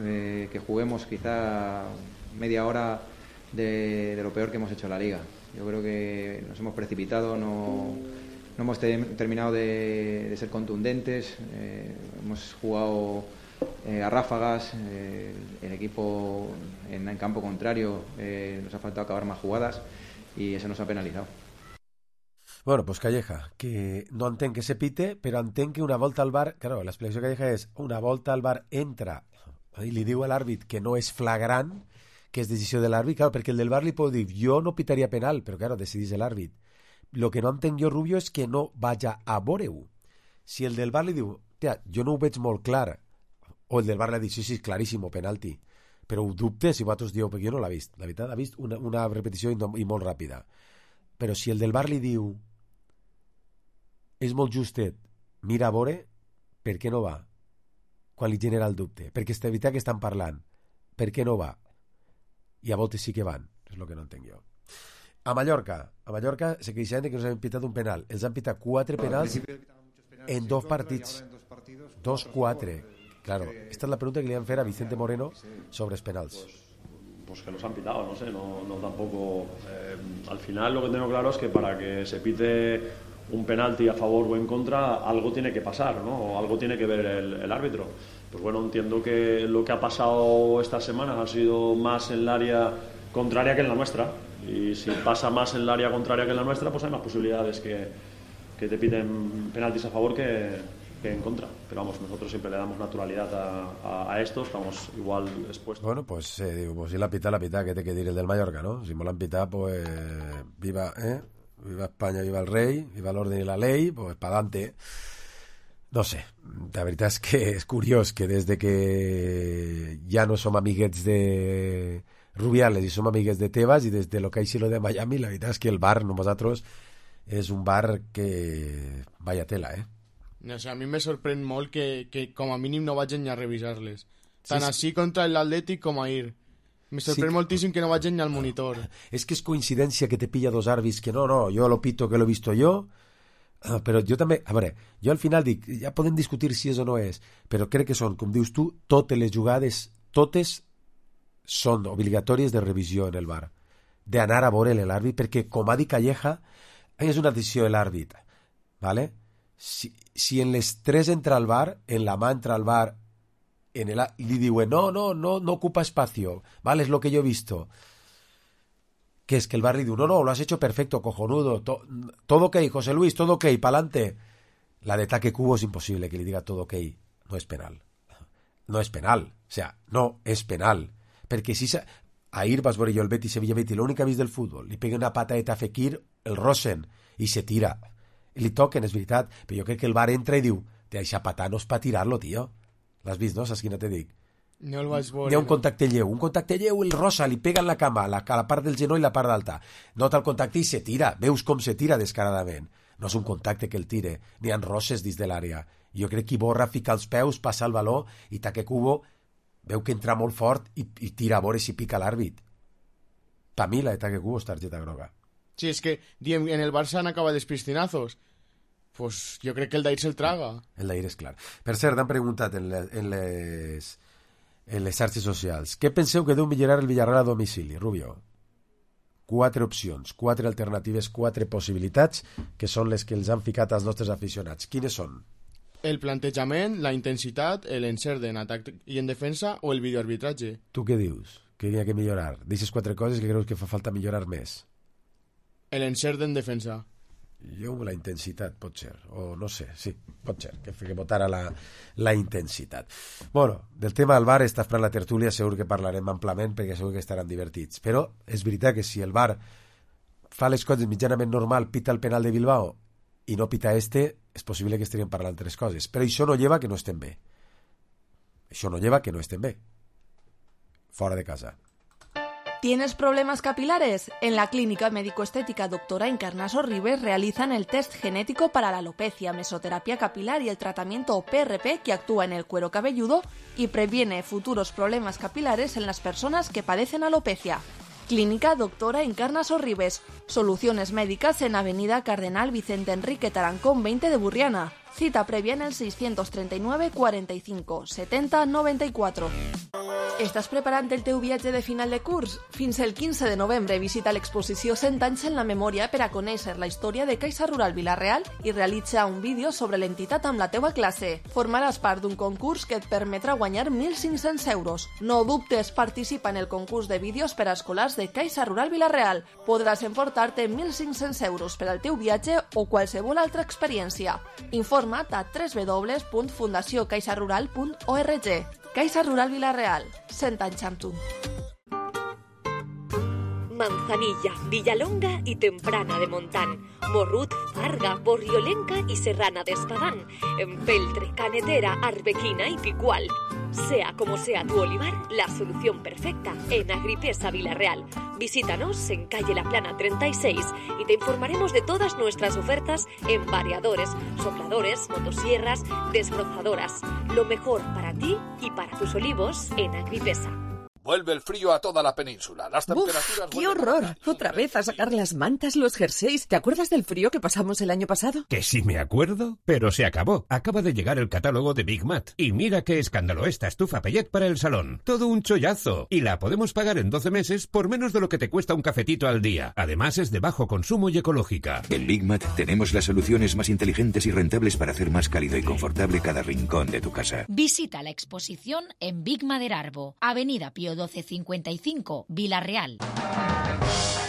eh, que juguemos quizá media hora de, de lo peor que hemos hecho en la liga. Yo creo que nos hemos precipitado, no, no hemos te, terminado de, de ser contundentes, eh, hemos jugado eh, a ráfagas, eh, el equipo en, en campo contrario eh, nos ha faltado acabar más jugadas y eso nos ha penalizado. Bueno, pues Calleja, que no entenc que se pite, però entenc que una volta al bar, claro, l'explicació de Calleja és una volta al bar entra i li diu a l'àrbit que no és flagrant, que és decisió de l'àrbit, claro, perquè el del bar li pot dir, jo no pitaria penal, però claro, decidís l'àrbit. Lo que no entenc jo, Rubio, és que no vaja a veure-ho. Si el del bar li diu, tia, jo no ho veig molt clar, o el del bar li ha dit, sí, sí, claríssim, penalti, però ho dubte si vosaltres dieu, perquè jo no l'ha vist, la veritat, ha vist una, una repetició i, no, i molt ràpida. Però si el del bar li diu, és molt justet, mira a veure, per què no va? Quan li genera el dubte. Perquè és veritat que estan parlant. Per què no va? I a voltes sí que van. És el que no entenc jo. A Mallorca, a Mallorca se queixaven que nos han pitat un penal. Els han pitat quatre penals en dos partits. Dos, quatre. Claro, esta es la pregunta que le iban a hacer a Vicente Moreno sobre los penals. Pues que los han pitado, no sé, no, no tampoco. Eh, al final lo que tengo claro es que para que se pite un penalti a favor o en contra, algo tiene que pasar, ¿no? O algo tiene que ver el, el árbitro. Pues bueno, entiendo que lo que ha pasado estas semanas ha sido más en el área contraria que en la nuestra. Y si pasa más en el área contraria que en la nuestra, pues hay más posibilidades que, que te piten penaltis a favor que, que en contra. Pero vamos, nosotros siempre le damos naturalidad a, a, a esto, estamos igual expuestos. Bueno, pues eh, digo, pues si la pita, la pita, que te que dir el del Mallorca, ¿no? Si me la han pitado, pues viva, ¿eh? Viva España, viva el rey, viva el orden y la ley, pues para adelante. No sé, la veritat és que és curiós que des de que ja no som amiguets de Rubiales i som amiguets de Tebas i des de lo que hi lo de Miami, la veritat és que el bar, nosaltres, és un bar que... vaya tela, eh? O sea, a mi me sorprèn molt que, que com a mínim no vagin ni a revisar-les. Tant Sí, sí. així contra l'Atlètic com a ahir. Me sorprèn Sí. moltíssim que no vagin ni al monitor. Es que es coincidencia que te pilla dos árbitros que no, no, yo lo pito que lo he visto yo, ah, però jo també, a veure, jo al final dic, ja podem discutir si és o no és, però crec que són, com dius tu, totes les jugades, totes són obligatòries de revisió en el bar, d'anar a veure l'àrbit, perquè com ha dit Calleja, és una decisió de l'àrbit, ¿vale? Si, si en les tres entra al bar, en la mà entra al bar, en el, li diuen, no, no, no, no ocupa espacio, ¿vale? Es lo que yo he visto. Que es que el bar le dice, no, no, lo has hecho perfecto, cojonudo, to, todo ok, José Luis, todo ok, pa'lante. La de Taque Cubo es imposible que le diga todo ok, no es penal. No es penal, o sea, no es penal. Perquè si sa... ahir vas veure jo el Betis Sevilla Betis, l'únic que ha vist del futbol, li pega una patadeta a Fekir, el rosen, i se tira. I li toquen, és veritat, però jo crec que el bar entra i diu, te deixa patar, no és pa tirar-lo, tio. L'has vist, no? Saps quina te dic? No el vaig veure. Hi ha un contacte lleu, un contacte lleu, el rosa, li pega en la cama, la, a la part del genoll i la part d'alta. Nota el contacte i se tira, veus com se tira descaradament. No és un contacte que el tire, ni han roses dins de l'àrea. Jo crec que Iborra fica els peus, passa el baló i Taque Cubo veu que entra molt fort i, i tira a veure si pica l'àrbit. Per mi la de Taque Cubo és targeta groga. Sí, és que diem, en el Barça han acabat els piscinazos. Pues jo crec que el d'ahir se'l traga. El d'ahir és clar. Per cert, han preguntat en, le, en les... en les xarxes socials. Què penseu que deu millorar el Villarreal a domicili, Rubio? Quatre opcions, quatre alternatives, quatre possibilitats, que són les que els han ficat als nostres aficionats. Quines són? El plantejament, la intensitat, l'encert en atac i en defensa o el videoarbitratge. Tu què dius? Que hi ha que millorar? D'aixes quatre coses que creus que fa falta millorar més? L'encert en defensa. Jo la intensitat, pot ser, o no sé, sí, pot ser, que, que votara la, la intensitat. Bueno, del tema del bar està esperant la tertúlia, segur que parlarem amplament perquè segur que estaran divertits, però és veritat que si el bar fa les coses mitjanament normal, pita el penal de Bilbao i no pita este, és possible que estaríem parlant tres coses, però això no lleva que no estem bé. Això no lleva que no estem bé. Fora de casa. ¿Tienes problemas capilares? En la Clínica Médico-Estética Doctora Encarnaso Ribes realizan el test genético para la alopecia, mesoterapia capilar y el tratamiento P R P que actúa en el cuero cabelludo y previene futuros problemas capilares en las personas que padecen alopecia. Clínica Doctora Encarnaso Ribes. Soluciones médicas en Avenida Cardenal Vicente Enrique Tarancón veinte de Burriana. Cita previa en el seiscientos treinta y nueve cuarenta y cinco setenta noventa y cuatro. Estàs preparant el teu viatge de final de curs? Fins el quinze de novembre visita l'exposició cent anys en la memòria per a conèixer la història de Caixa Rural Vila-real i realitza un vídeo sobre l'entitat amb la teua classe. Formaràs part d'un concurs que et permetrà guanyar mil cinc-cents euros. No dubtes, participa en el concurs de vídeos per a escolars de Caixa Rural Vila-real. Podràs emportar-te mil cinc-cents euros per al teu viatge o qualsevol altra experiència. Informa't a w w w punt fundació caixa rural punt org. Caixa Rural Vila-real, cent anys amb tu. Manzanilla, Villalonga y Temprana de Montán, Morrut, Farga, Borriolenca y Serrana de Espadán, Empeltre, Canetera, Arbequina y Picual. Sea como sea tu olivar, la solución perfecta en Agripesa Vila-real. Visítanos en calle La Plana treinta y seis y te informaremos de todas nuestras ofertas en variadores, sopladores, motosierras, desbrozadoras. Lo mejor para ti y para tus olivos en Agripesa. Vuelve el frío a toda la península. Las temperaturas... ¡Uf, qué horror! Otra vez a sacar las mantas, los jerseys. ¿Te acuerdas del frío que pasamos el año pasado? Que sí me acuerdo, pero se acabó. Acaba de llegar el catálogo de Big Mat. Y mira qué escándalo esta estufa Pellet para el salón. Todo un chollazo. Y la podemos pagar en doce meses por menos de lo que te cuesta un cafetito al día. Además es de bajo consumo y ecológica. En Big Mat tenemos las soluciones más inteligentes y rentables para hacer más cálido y confortable cada rincón de tu casa. Visita la exposición en Big Maderarbo, Avenida Pío doce cincuenta y cinco, Vila-real.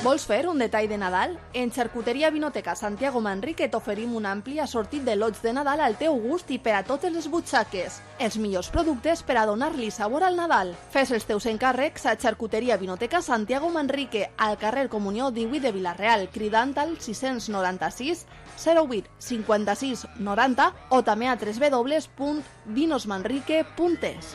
Vols fer un detall de Nadal? En Xarcuteria Vinoteca Santiago Manrique t'oferim un ampli assortit de lots de Nadal al teu gust i per a totes les butxaques. Els millors productes per a donar-li sabor al Nadal. Fes els teus encàrrecs a Xarcuteria Vinoteca Santiago Manrique, al carrer Comunió divuit de Vila-real, cridant al sis noranta-sis zero vuit cinquanta-sis noranta o també a w w w punt vinos manrique punt es.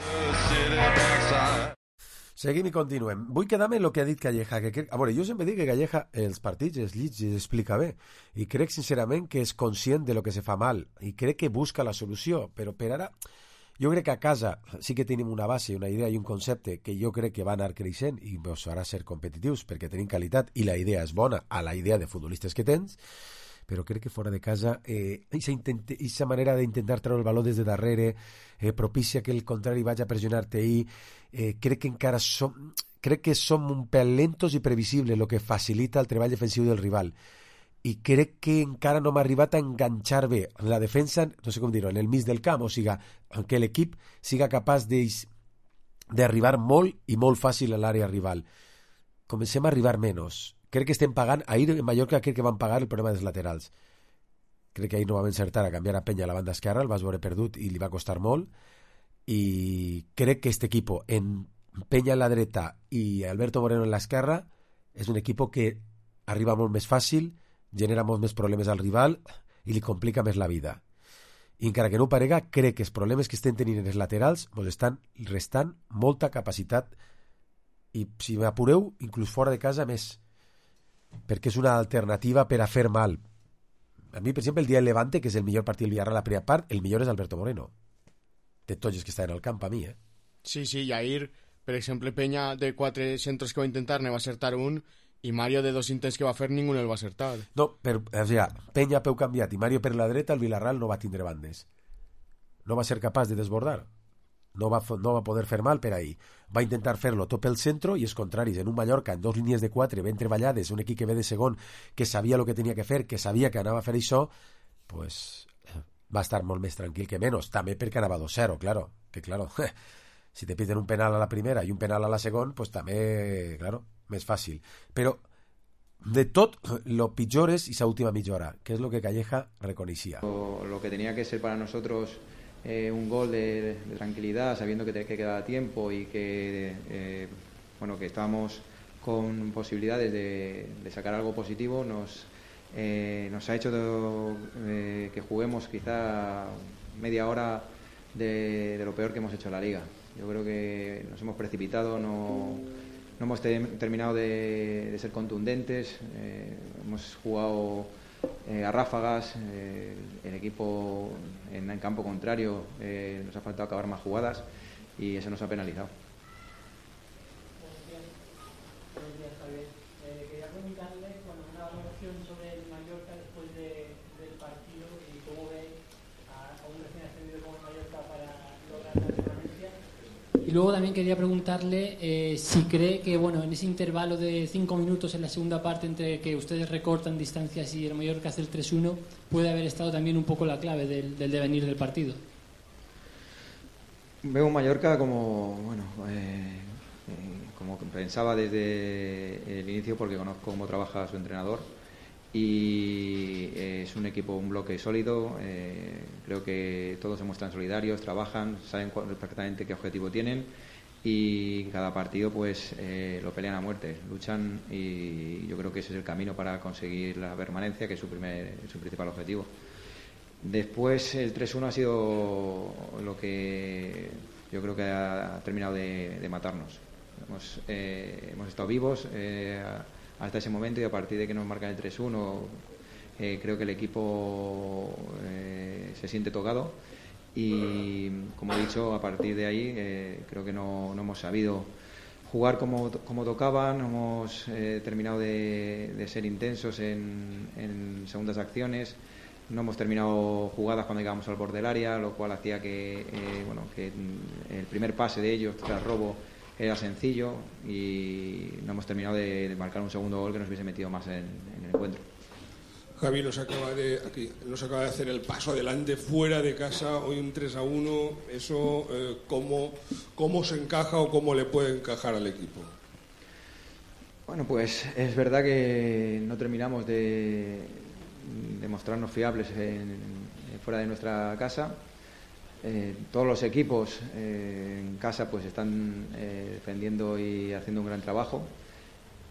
Seguim i continuem. Vull quedar-me en el que ha dit Calleja. Que crec... A veure, jo sempre dic que Calleja els partits els llits i els explica bé. I crec sincerament que és conscient de lo que se fa mal. I crec que busca la solució. Però per ara, jo crec que a casa sí que tenim una base, una idea i un concepte que jo crec que va anar creixent i ens farà ser competitius perquè tenim qualitat i la idea és bona a la idea de futbolistes que tens. Però crec que fora de casa eh, aquesta manera d'intentar treure el baló des de darrere eh, propicia que el contrari vagi a pressionar-te i eh, crec que encara som crec que som un pèl lentos i previsibles, el que facilita el treball defensiu del rival, i crec que encara no m'ha arribat a enganxar bé la defensa, no sé com dir-ho, en el mig del camp, o sigui, que l'equip siga capaç d'arribar molt i molt fàcil a l'àrea rival. Comencem a arribar menys. Crec que estem pagant, ahir en Mallorca crec que van pagar el problema dels laterals. Crec que ahir no vam encertar a canviar a Penya a la banda esquerra, el vas veure perdut i li va costar molt, i crec que este equipo en Penya a la dreta i Alberto Moreno en l'esquerra és un equip que arriba molt més fàcil, genera molts més problemes al rival i li complica més la vida. I encara que no ho parega, crec que els problemes que estem tenint en els laterals ens estan restant molta capacitat i, si m'apureu, inclús fora de casa més, perquè és una alternativa per a fer mal. A mi, per exemple, el dia del Levante, que és el millor partit del Villarreal a la primera part, el millor és Alberto Moreno. De tots els que estan al camp, a mi, eh? Sí, sí, i ahir, per exemple, Peña, de quatre centres que va intentar, ne va acertar un, i Mario, de dos intents que va fer, ningú el va acertar. No, per, o sigui, Peña peu canviat i Mario per la dreta, el Villarreal no va tindre bandes. No va ser capaç de desbordar. No va, no va poder fer mal per ahir. Va intentar fer-lo tot pel centre i els contraris. En un Mallorca, en dos línies de quatre ben treballades, un equip que ve de segon, que sabia el que tenia que fer, que sabia que anava a fer això, pues va estar molt més tranquil que menys. També perquè anava dos zero, claro. Que claro, si te piden un penal a la primera i un penal a la segona, pues també, claro, més fàcil. Però de tot, lo pitjor és esa última mitja hora, que és lo que Calleja reconeixia. Lo, lo que tenía que ser para nosotros Eh, un gol de, de tranquilidad, sabiendo que, te, que queda tiempo y que eh, bueno, que estábamos con posibilidades de, de sacar algo positivo, nos, eh, nos ha hecho de, eh, que juguemos quizá media hora de, de lo peor que hemos hecho en la liga. Yo creo que nos hemos precipitado, no, no hemos te, terminado de, de ser contundentes, eh, hemos jugado Eh, a ráfagas, eh, el equipo en el campo contrario eh, nos ha faltado acabar más jugadas y eso nos ha penalizado. Buenos días, buenos días Javier. Eh, quería preguntarle bueno, una valoración sobre el Mallorca después de, del partido y cómo ve a, a un recién ascendido como el Mallorca para lograr la permanencia. Y luego también quería preguntarle eh, si cree que bueno en ese intervalo de cinco minutos en la segunda parte entre que ustedes recortan distancias y el Mallorca hace el tres uno puede haber estado también un poco la clave del, del devenir del partido. Veo un Mallorca como bueno eh, eh, como pensaba desde el inicio porque conozco cómo trabaja su entrenador y eh, es un equipo, un bloque sólido, eh, creo que todos se muestran solidarios, trabajan, saben cuál, perfectamente qué objetivo tienen y cada partido pues eh, lo pelean a muerte, luchan y yo creo que ese es el camino para conseguir la permanencia, que es su, primer, su principal objetivo. Después el tres uno ha sido lo que yo creo que ha terminado de, de matarnos. Hemos, eh, hemos estado vivos eh, hasta ese momento y a partir de que nos marcan el tres uno eh, creo que el equipo eh, se siente tocado y como he dicho a partir de ahí eh, creo que no, no hemos sabido jugar como, como tocaban, hemos eh, terminado de, de ser intensos en, en segundas acciones, no hemos terminado jugadas cuando llegamos al borde del área, lo cual hacía que, eh, bueno, que el primer pase de ellos tras robo era sencillo y no hemos terminado de, de marcar un segundo gol que nos hubiese metido más en, en el encuentro. Javi nos acaba de aquí nos acaba de hacer el paso adelante fuera de casa, hoy un tres a uno, eso eh, ¿cómo, cómo se encaja o cómo le puede encajar al equipo? Bueno, pues es verdad que no terminamos de, de mostrarnos fiables en, en, fuera de nuestra casa. Eh, todos los equipos eh, en casa pues están eh, defendiendo y haciendo un gran trabajo.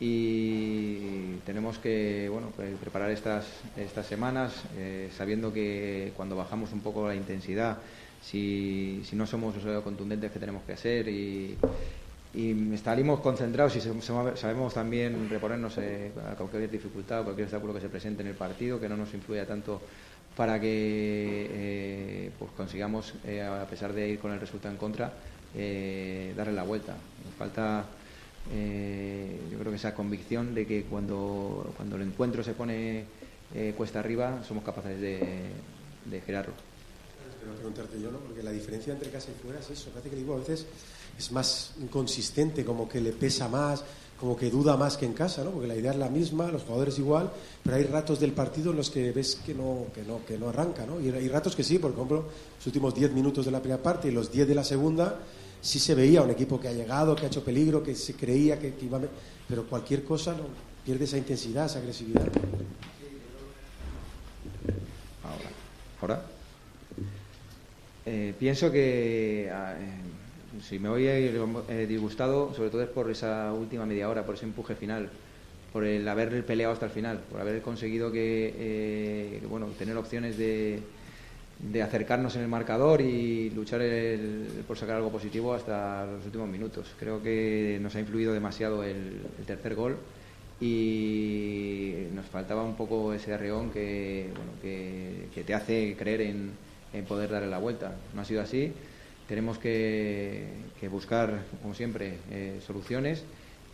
Y tenemos que, bueno, pues preparar estas, estas semanas eh, sabiendo que cuando bajamos un poco la intensidad, si, si no somos los contundentes que tenemos que ser y, y salimos concentrados y sabemos también reponernos eh, a cualquier dificultad o cualquier obstáculo que se presente en el partido, que no nos influya tanto para que eh, pues consigamos, eh, a pesar de ir con el resultado en contra, eh, darle la vuelta. Nos falta... Eh, yo creo que esa convicción de que cuando, cuando el encuentro se pone eh, cuesta arriba somos capaces de, de girarlo. Espero preguntarte yo, ¿no? Porque la diferencia entre casa y fuera es eso. Parece que el equipo a veces es más inconsistente, como que le pesa más, como que duda más que en casa, ¿no? Porque la idea es la misma, los jugadores igual, pero hay ratos del partido en los que ves que no, que no, que no arranca, ¿no? Y hay ratos que sí, por ejemplo, los últimos diez minutos de la primera parte y los diez de la segunda. Sí se veía un equipo que ha llegado, que ha hecho peligro, que se creía que, que iba a... Pero cualquier cosa no pierde esa intensidad, esa agresividad. Ahora, ahora. Eh, pienso que eh, si me voy a ir eh, disgustado, sobre todo es por esa última media hora, por ese empuje final, por el haber peleado hasta el final, por haber conseguido que, eh, que bueno, tener opciones de... de acercarnos en el marcador y luchar el, por sacar algo positivo hasta los últimos minutos. Creo que nos ha influido demasiado el, el tercer gol y nos faltaba un poco ese arreón que, bueno, que, que te hace creer en, en poder darle la vuelta. No ha sido así. Tenemos que, que buscar, como siempre, eh, soluciones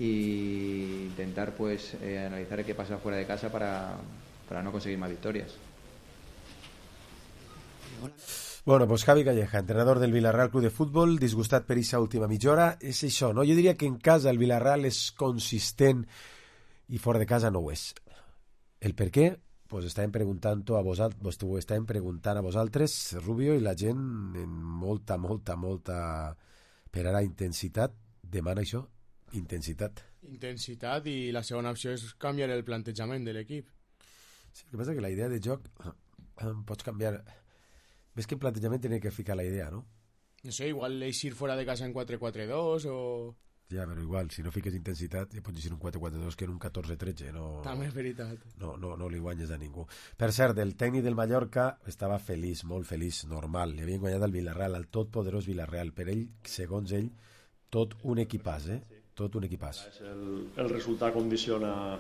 e intentar pues eh, analizar qué pasa fuera de casa para, para no conseguir más victorias. Bueno, pues Javi Calleja, entrenador del Villarreal Club de Futbol, disgustat per aquesta última mitja hora. És això, no? Jo diria que en casa el Villarreal és consistent i fora de casa no ho és. El per què? Pues estàvem preguntant-ho a vosaltres, pues ho estàvem preguntant a vosaltres, Rubio, i la gent en molta, molta, molta... Per ara, intensitat. Demana això? Intensitat. Intensitat i la segona opció és canviar el plantejament de l'equip. Sí, el que passa és que la idea de joc pots canviar... Ves que en plantejament tiene que ficar la idea, ¿no? No sé, igual eixir fuera de casa en quatre quatre dos o... Ja, però igual, si no fiques intensitat, ja pots eixir un quatre quatre dos que en un catorze tretze. No, també és veritat. No, no, no li guanyes a ningú. Per cert, el tècnic del Mallorca estava feliç, molt feliç, normal. Li havien guanyat al Villarreal, al totpoderós Villarreal. Per ell, segons ell, tot un equipàs, eh? Tot un equipàs. El, el resultat condiciona...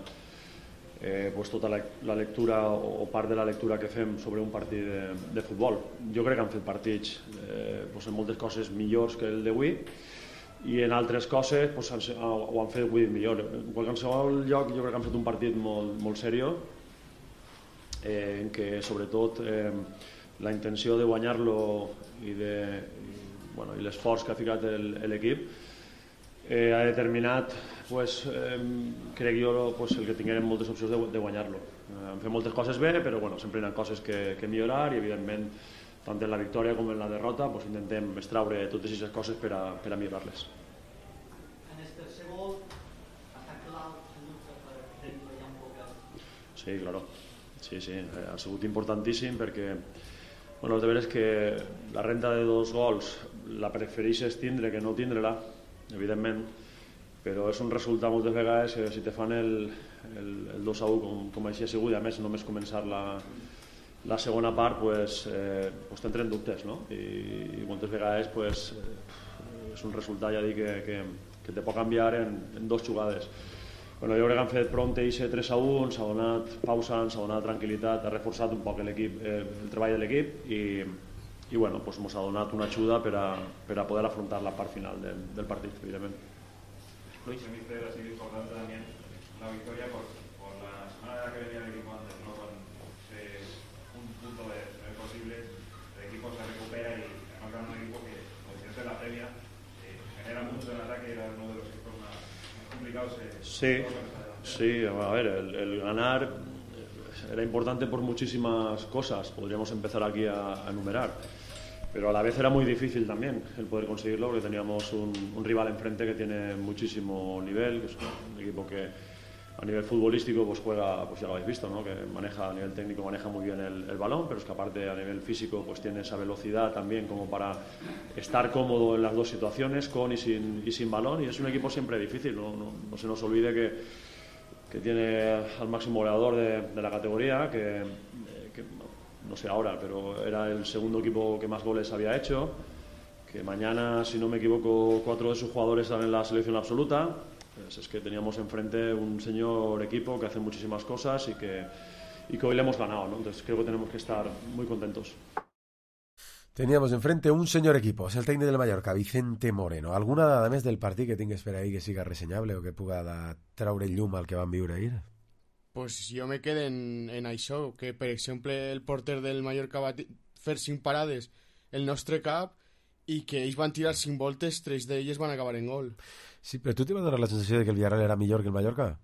Eh, pues tota la, la lectura o part de la lectura que fem sobre un partit de, de futbol. Jo crec que han fet partits eh, pues en moltes coses millors que el d'avui i en altres coses pues, han, ho han fet avui millor. En qualsevol lloc jo crec que han fet un partit molt, molt seriós eh, en què sobretot eh, la intenció de guanyar-lo i, de, i, bueno, i l'esforç que ha ficat l'equip eh, ha determinat pues, eh, crec jo pues, el que tinguem moltes opcions de, de guanyar-lo. Eh, hem fet moltes coses bé, però bueno, sempre hi ha coses que, que millorar i evidentment tant en la victòria com en la derrota pues, intentem extraure totes aquestes coses per a, per a millorar-les. En el tercer gol està clar per tenir ja un poc... Sí, claro. Sí, sí, ha sigut importantíssim perquè bueno, de veres que la renta de dos gols la prefereixes tindre que no tindre-la, evidentment, però és un resultat moltes vegades que si te fan el, el, el dos a u com, com així ha sigut i a més només començar la, la segona part pues, eh, pues t'entren dubtes, no? I, i moltes vegades pues, eh, és un resultat ja dic que, que, que te pot canviar en, en dos jugades. Bueno, jo crec que han fet prompt eixe tres a u, s'ha donat pausa, s'ha donat tranquil·litat, ha reforçat un poc l'equip, eh, el treball de l'equip i, i bueno, pues, mos ha donat una ajuda per a, per a poder afrontar la part final del, del partit, evidentment. Luis. Mister, ha sido importante también la victoria por, por la semana que venía el equipo antes, ¿no? Con ese, un punto de ser posible, el equipo se recupera y además gana un equipo que, como decías en la previa, eh, genera mucho en ataque y era uno de los equipos más, más complicados. Eh, sí, sí, a ver, el, el ganar era importante por muchísimas cosas, podríamos empezar aquí a, a enumerar. Pero a la vez era muy difícil también el poder conseguirlo porque teníamos un, un rival enfrente que tiene muchísimo nivel, que es un equipo que a nivel futbolístico pues juega, pues ya lo habéis visto, ¿no? Que maneja a nivel técnico, maneja muy bien el, el balón, pero es que aparte a nivel físico pues tiene esa velocidad también como para estar cómodo en las dos situaciones, con y sin, y sin balón, y es un equipo siempre difícil, no, no, no se nos olvide que, que tiene al máximo goleador de, de la categoría, que, que no sé ahora, pero era el segundo equipo que más goles había hecho, que mañana, si no me equivoco, cuatro de sus jugadores están en la selección absoluta. Pues es que teníamos enfrente un señor equipo que hace muchísimas cosas y que, y que hoy le hemos ganado, ¿no? Entonces creo que tenemos que estar muy contentos. Teníamos enfrente un señor equipo, és el tècnic del Mallorca, Vicente Moreno. Alguna dada més del partit que tingues per ahí que siga ressenyable o que puga traure llum al que van viure ahir? Pues jo me quedo en, en això, que per exemple el porter del Mallorca va fer cinc parades el nostre cap i que ells van tirar cinc voltes, tres d'elles van acabar en gol. Sí, però tu t'hi va donar la sensació de que el Villarreal era millor que el Mallorca?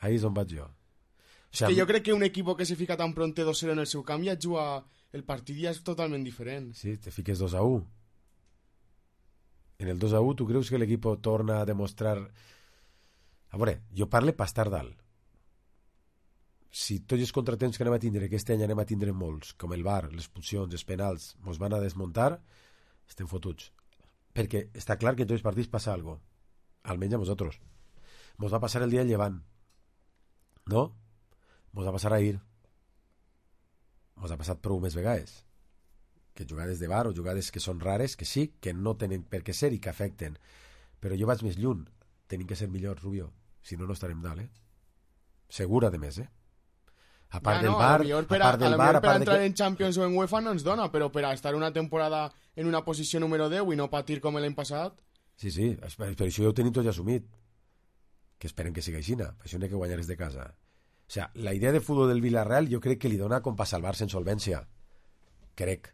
Ahí és on vaig jo. O sea, que jo crec que un equip que se fica tan pronte dos cero en el seu camp ja juga... El partit ja és totalment diferent. Sí, te fiques dos a u. En el dos a u, tu creus que l'equip torna a demostrar... A veure, jo parle per estar dalt. Si tots els contratemps que anem a tindre, aquest any anem a tindre molts, com el V A R, les expulsions, els penals, mos van a desmuntar, estem fotuts. Perquè està clar que en tots els partits passa algo. Almenys a nosaltres. Mos va passar el dia del Llevant. No? Mos va passar ahir. Mos ha passat prou més vegades. Que jugades de V A R o jugades que són rares, que sí, que no tenen per què ser i que afecten. Però jo vaig més lluny. Tenim que ser millors, Rubio. Si no, no estarem dalt, eh? Segura de més, eh? A part ja, del no, V A R, a, a part del V A R... Per a entrar que... en Champions o en UEFA no ens dona, però per a estar una temporada en una posició número deu i no patir com l'any passat... Sí, sí, per, per això ja ho tenim tot ja assumit. Que esperem que sigui així, per això n'hi ha que guanyar des de casa. O sea, la idea de fútbol del Villarreal jo crec que li dona com per salvar-se en solvència. Crec.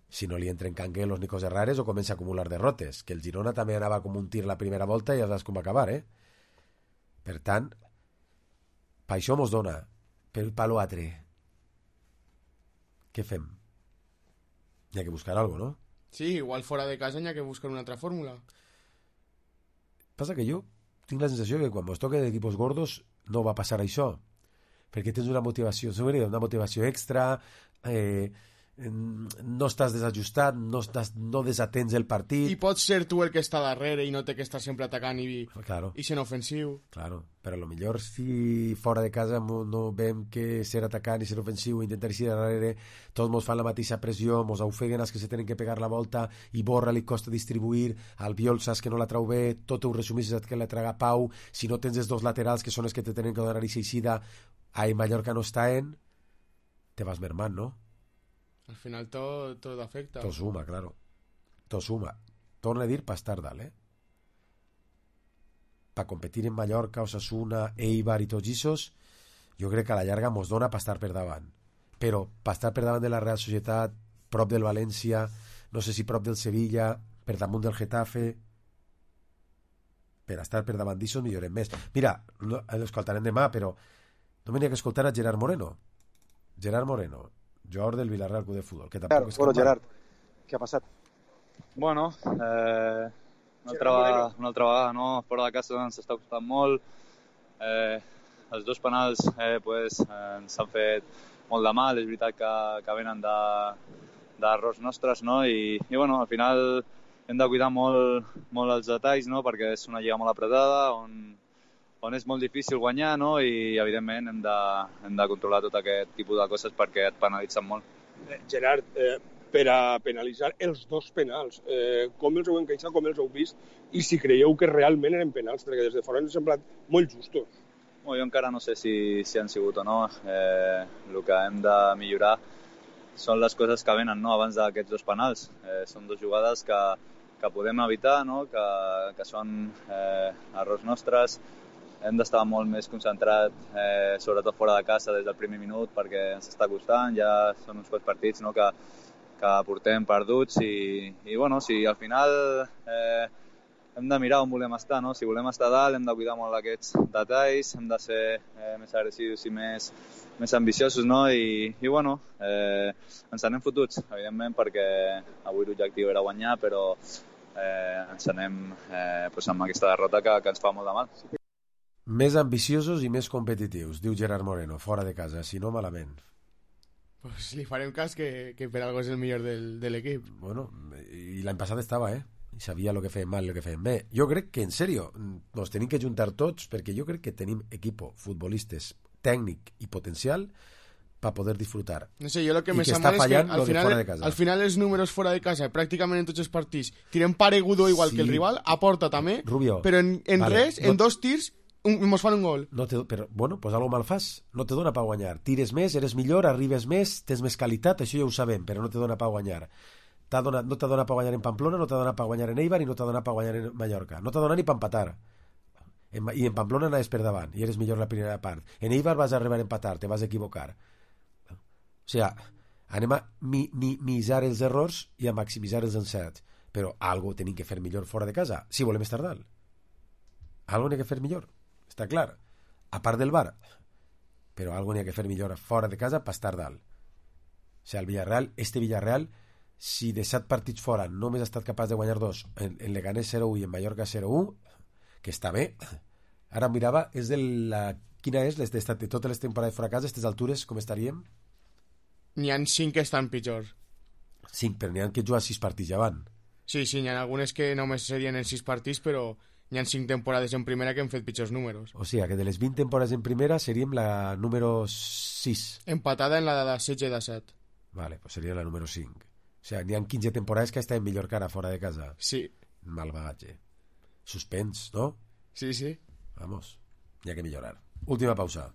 Si no li entren canguelos ni coses rares o comença a acumular derrotes. Que el Girona també anava com un tir la primera volta i ja saps com acabar, eh? Per tant, per això mos dona. Per el palo altre. Què fem? Hi ha que buscar algo, no? Sí, igual fora de casa hi ha que buscar una altra fórmula. Passa que jo tinc la sensació que quan mos toque d'equipos gordos no va passar això. Perquè tens una motivació, una motivació extra, eh, no estàs desajustat, no, estàs, no desatens el partit. I pots ser tu el que està darrere i no té que estar sempre atacant i, claro. i sent ofensiu. Claro, però a lo millor si fora de casa no veiem que ser atacant i ser ofensiu i intentar eixir darrere, tots mos fan la mateixa pressió, mos ofeguen els que se tenen que pegar la volta i Borra li costa distribuir, al Biol saps que no la trau bé, tot ho resumís que la traga Pau, si no tens els dos laterals que són els que te tenen que donar i s'eixida, a Mallorca no està en, te vas mermant, no? Al final tot, tot afecta. Tot suma, claro. Tot suma. Torna a dir per estar dalt, eh? Per competir en Mallorca, Osasuna, Eibar i tots aquests, jo crec que a la llarga mos dona per estar per davant. Però per estar per davant de la Real Societat, prop del València, no sé si prop del Sevilla, per damunt del Getafe, per estar per davant d'això millorem més. Mira, no, l'escoltarem demà, però no m'hi ha que escoltar a Gerard Moreno. Gerard Moreno, jugador del Villarreal Club de Fútbol. Que claro, bueno, Gerard, què ha passat? Bueno, eh, una, altra vegada, una altra vegada, no? Fora de casa ens està costant molt. Eh, els dos penals eh, pues, eh, ens han fet molt de mal. És veritat que, que venen d'errors nostres, no? I, i bueno, al final hem de cuidar molt, molt els detalls, no? Perquè és una lliga molt apretada, on on és molt difícil guanyar, no? I evidentment hem de, hem de controlar tot aquest tipus de coses perquè et penalitzen molt. Eh, Gerard, eh, per a penalitzar els dos penals, eh, com els heu encaixat, com els heu vist, i si creieu que realment eren penals, perquè des de fora ens han semblat molt justos. Bueno, jo encara no sé si, si han sigut o no. Eh, el que hem de millorar són les coses que venen, no? Abans d'aquests dos penals. Eh, són dues jugades que, que podem evitar, no? que, que són eh, errors nostres. Hem d'estar molt més concentrat, eh, sobretot fora de casa des del primer minut, perquè ens està costant, ja són uns quants partits, no? que, que portem perduts i, i bueno, si al final eh, hem de mirar on volem estar, no? Si volem estar a dalt hem de cuidar molt d'aquests detalls, hem de ser eh, més agressius i més, més ambiciosos, no? I, i bueno, eh, ens anem fotuts, evidentment, perquè avui l'objectiu era guanyar, però eh, ens anem eh, pues amb aquesta derrota que, que ens fa molt de mal. Més ambiciosos i més competitius, diu Gerard Moreno, fora de casa, si no malament. Pues li farem cas que, que per algo és el millor del, de l'equip. Bueno, i l'any passat estava, eh? I sabia el que feien mal i el que feien bé. Jo crec que, en sèrio, nos tenim que juntar tots, perquè jo crec que tenim equipo, futbolistes, tècnic i potencial per poder disfrutar. No sé, jo lo que I me que sembla està és que fallant al lo de final, fora de casa. al final els números fora de casa, pràcticament en tots els partits, tirem paregudo igual Sí. que el rival, aporta també, Rubio, però en, en vale, res, no- en dos tirs, un, mos fan un gol. No te, però, bueno, pues algo mal fas. No te dona per guanyar. Tires més, eres millor, arribes més, tens més qualitat, això ja ho sabem, però no te dona per guanyar. T'ha donat, no t'ha donat per guanyar en Pamplona, no t'ha donat per guanyar en Eibar i no t'ha donat per guanyar en Mallorca. No t'ha donat ni per empatar. En, I en Pamplona anaves per davant i eres millor la primera part. En Eibar vas arribar a empatar, te vas equivocar. O sigui, anem a minimitzar els errors i a maximitzar els encerts. Però algo tenim que fer millor fora de casa, si volem estar dalt. Algo n'hi ha que fer millor, està clar. A part del bar, però algo n'hi ha que fer millor fora de casa per estar dalt. O sigui, el Villarreal, este Villarreal, si de set partits fora només ha estat capaç de guanyar dos, en, en Leganés zero u i en Mallorca zero u, que està bé. Ara mirava, és de la... Quina és les de, de totes les temporades fora de casa, a aquestes altures, com estaríem? N'hi ha cinc que estan pitjor. Cinc, però n'hi ha que jugar sis partits ja van. Sí, sí, n'hi ha algunes que només serien en sis partits, però n'hi ha cinc temporades en primera que han fet pitjors números. O sigui, que de les vint temporades en primera seríem la número sis. Empatada en la de setze i de set. Vale, pues seria la número cinc. O sigui, n'hi ha quinze temporades que estaven millor que ara fora de casa. Sí. Mal bagatge. Suspens, ¿no? Sí, sí. Vamos, n'hi ha que millorar. Última pausa.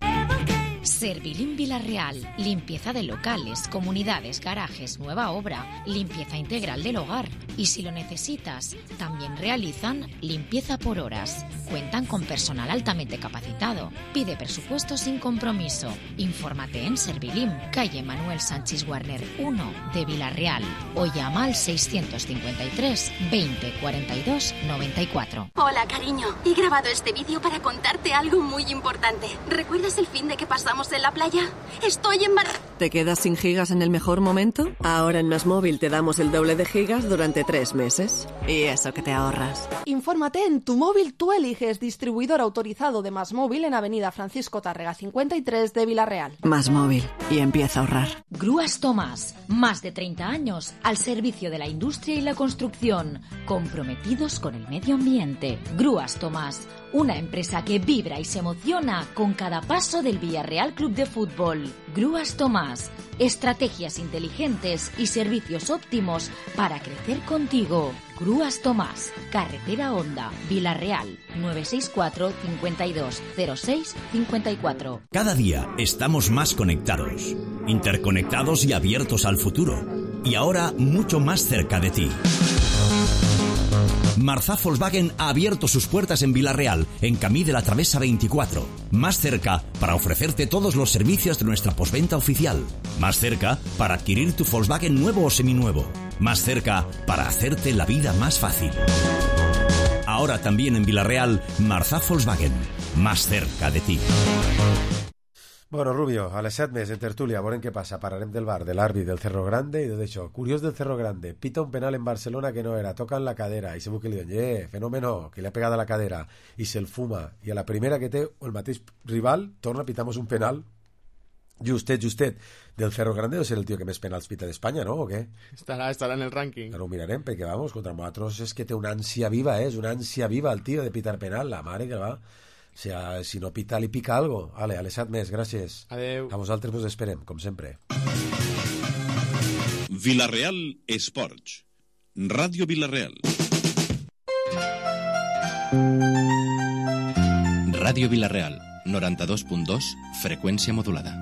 Servilín Villarreal, limpieza de locales, comunidades, garajes, nueva obra, limpieza integral del hogar. Y si lo necesitas, también realizan limpieza por horas. Cuentan con personal altamente capacitado. Pide presupuesto sin compromiso. Infórmate en Servilín, calle Manuel Sánchez Warner uno de Villarreal o llama al seiscientos cincuenta y tres veinte cuarenta y dos noventa y cuatro. Hola, cariño. He grabado este vídeo para contarte algo muy importante. ¿Recuerdas el fin de que pasamos en la playa? Estoy embarazada. ¿Te quedas sin gigas en el mejor momento? Ahora en Más Móvil te damos el doble de gigas durante tres meses. Y eso que te ahorras. Infórmate en Tu Móvil Tú Eliges, distribuidor autorizado de Más Móvil en Avenida Francisco Tárrega cincuenta y tres de Villarreal. Más Móvil. Y empieza a ahorrar. Grúas Tomás, más de treinta años al servicio de la industria y la construcción, comprometidos con el medio ambiente. Grúas Tomás, una empresa que vibra y se emociona con cada paso del Villarreal Club de Fútbol. Grúas Tomás, estrategias inteligentes y servicios óptimos para crecer contigo. Grúas Tomás, Carretera Honda, Villarreal, nueve seis cuatro, cincuenta y dos, cero seis, cincuenta y cuatro. Cada día estamos más conectados, interconectados y abiertos al futuro. Y ahora mucho más cerca de ti. Marzá Volkswagen ha abierto sus puertas en Villarreal, en Camí de la Travesa veinticuatro. Más cerca para ofrecerte todos los servicios de nuestra postventa oficial. Más cerca para adquirir tu Volkswagen nuevo o seminuevo. Más cerca para hacerte la vida más fácil. Ahora también en Villarreal, Marzá Volkswagen. Más cerca de ti. Bueno, Rubio, a les set més en tertúlia, veurem què passa. Parlarem del bar, de l'àrbit, del Cerro Grande i de tot això. Curiós del Cerro Grande, pita un penal en Barcelona que no era, toca en la cadera i segur que li diuen, eh, fenómeno, que li ha pegat a la cadera i se'l fuma, i a la primera que té el mateix rival torna a pitar-nos un penal justet, justet del Cerro Grande. Deu ser el tio que més penals pita d'Espanya, no? O què? Estarà, estarà en el rànquing. Ara ho mirarem, perquè vamos, contra nosaltres és que té una ànsia viva, eh? És una ànsia viva el tio de pitar penal, la mare que va. O sea, si no pita, li pica algo. Ale, a les set més, gràcies. Adeu. A vosaltres vos esperem, com sempre. Villarreal Esports. Ràdio Villarreal. Ràdio Villarreal, noranta-dos punt dos, freqüència modulada.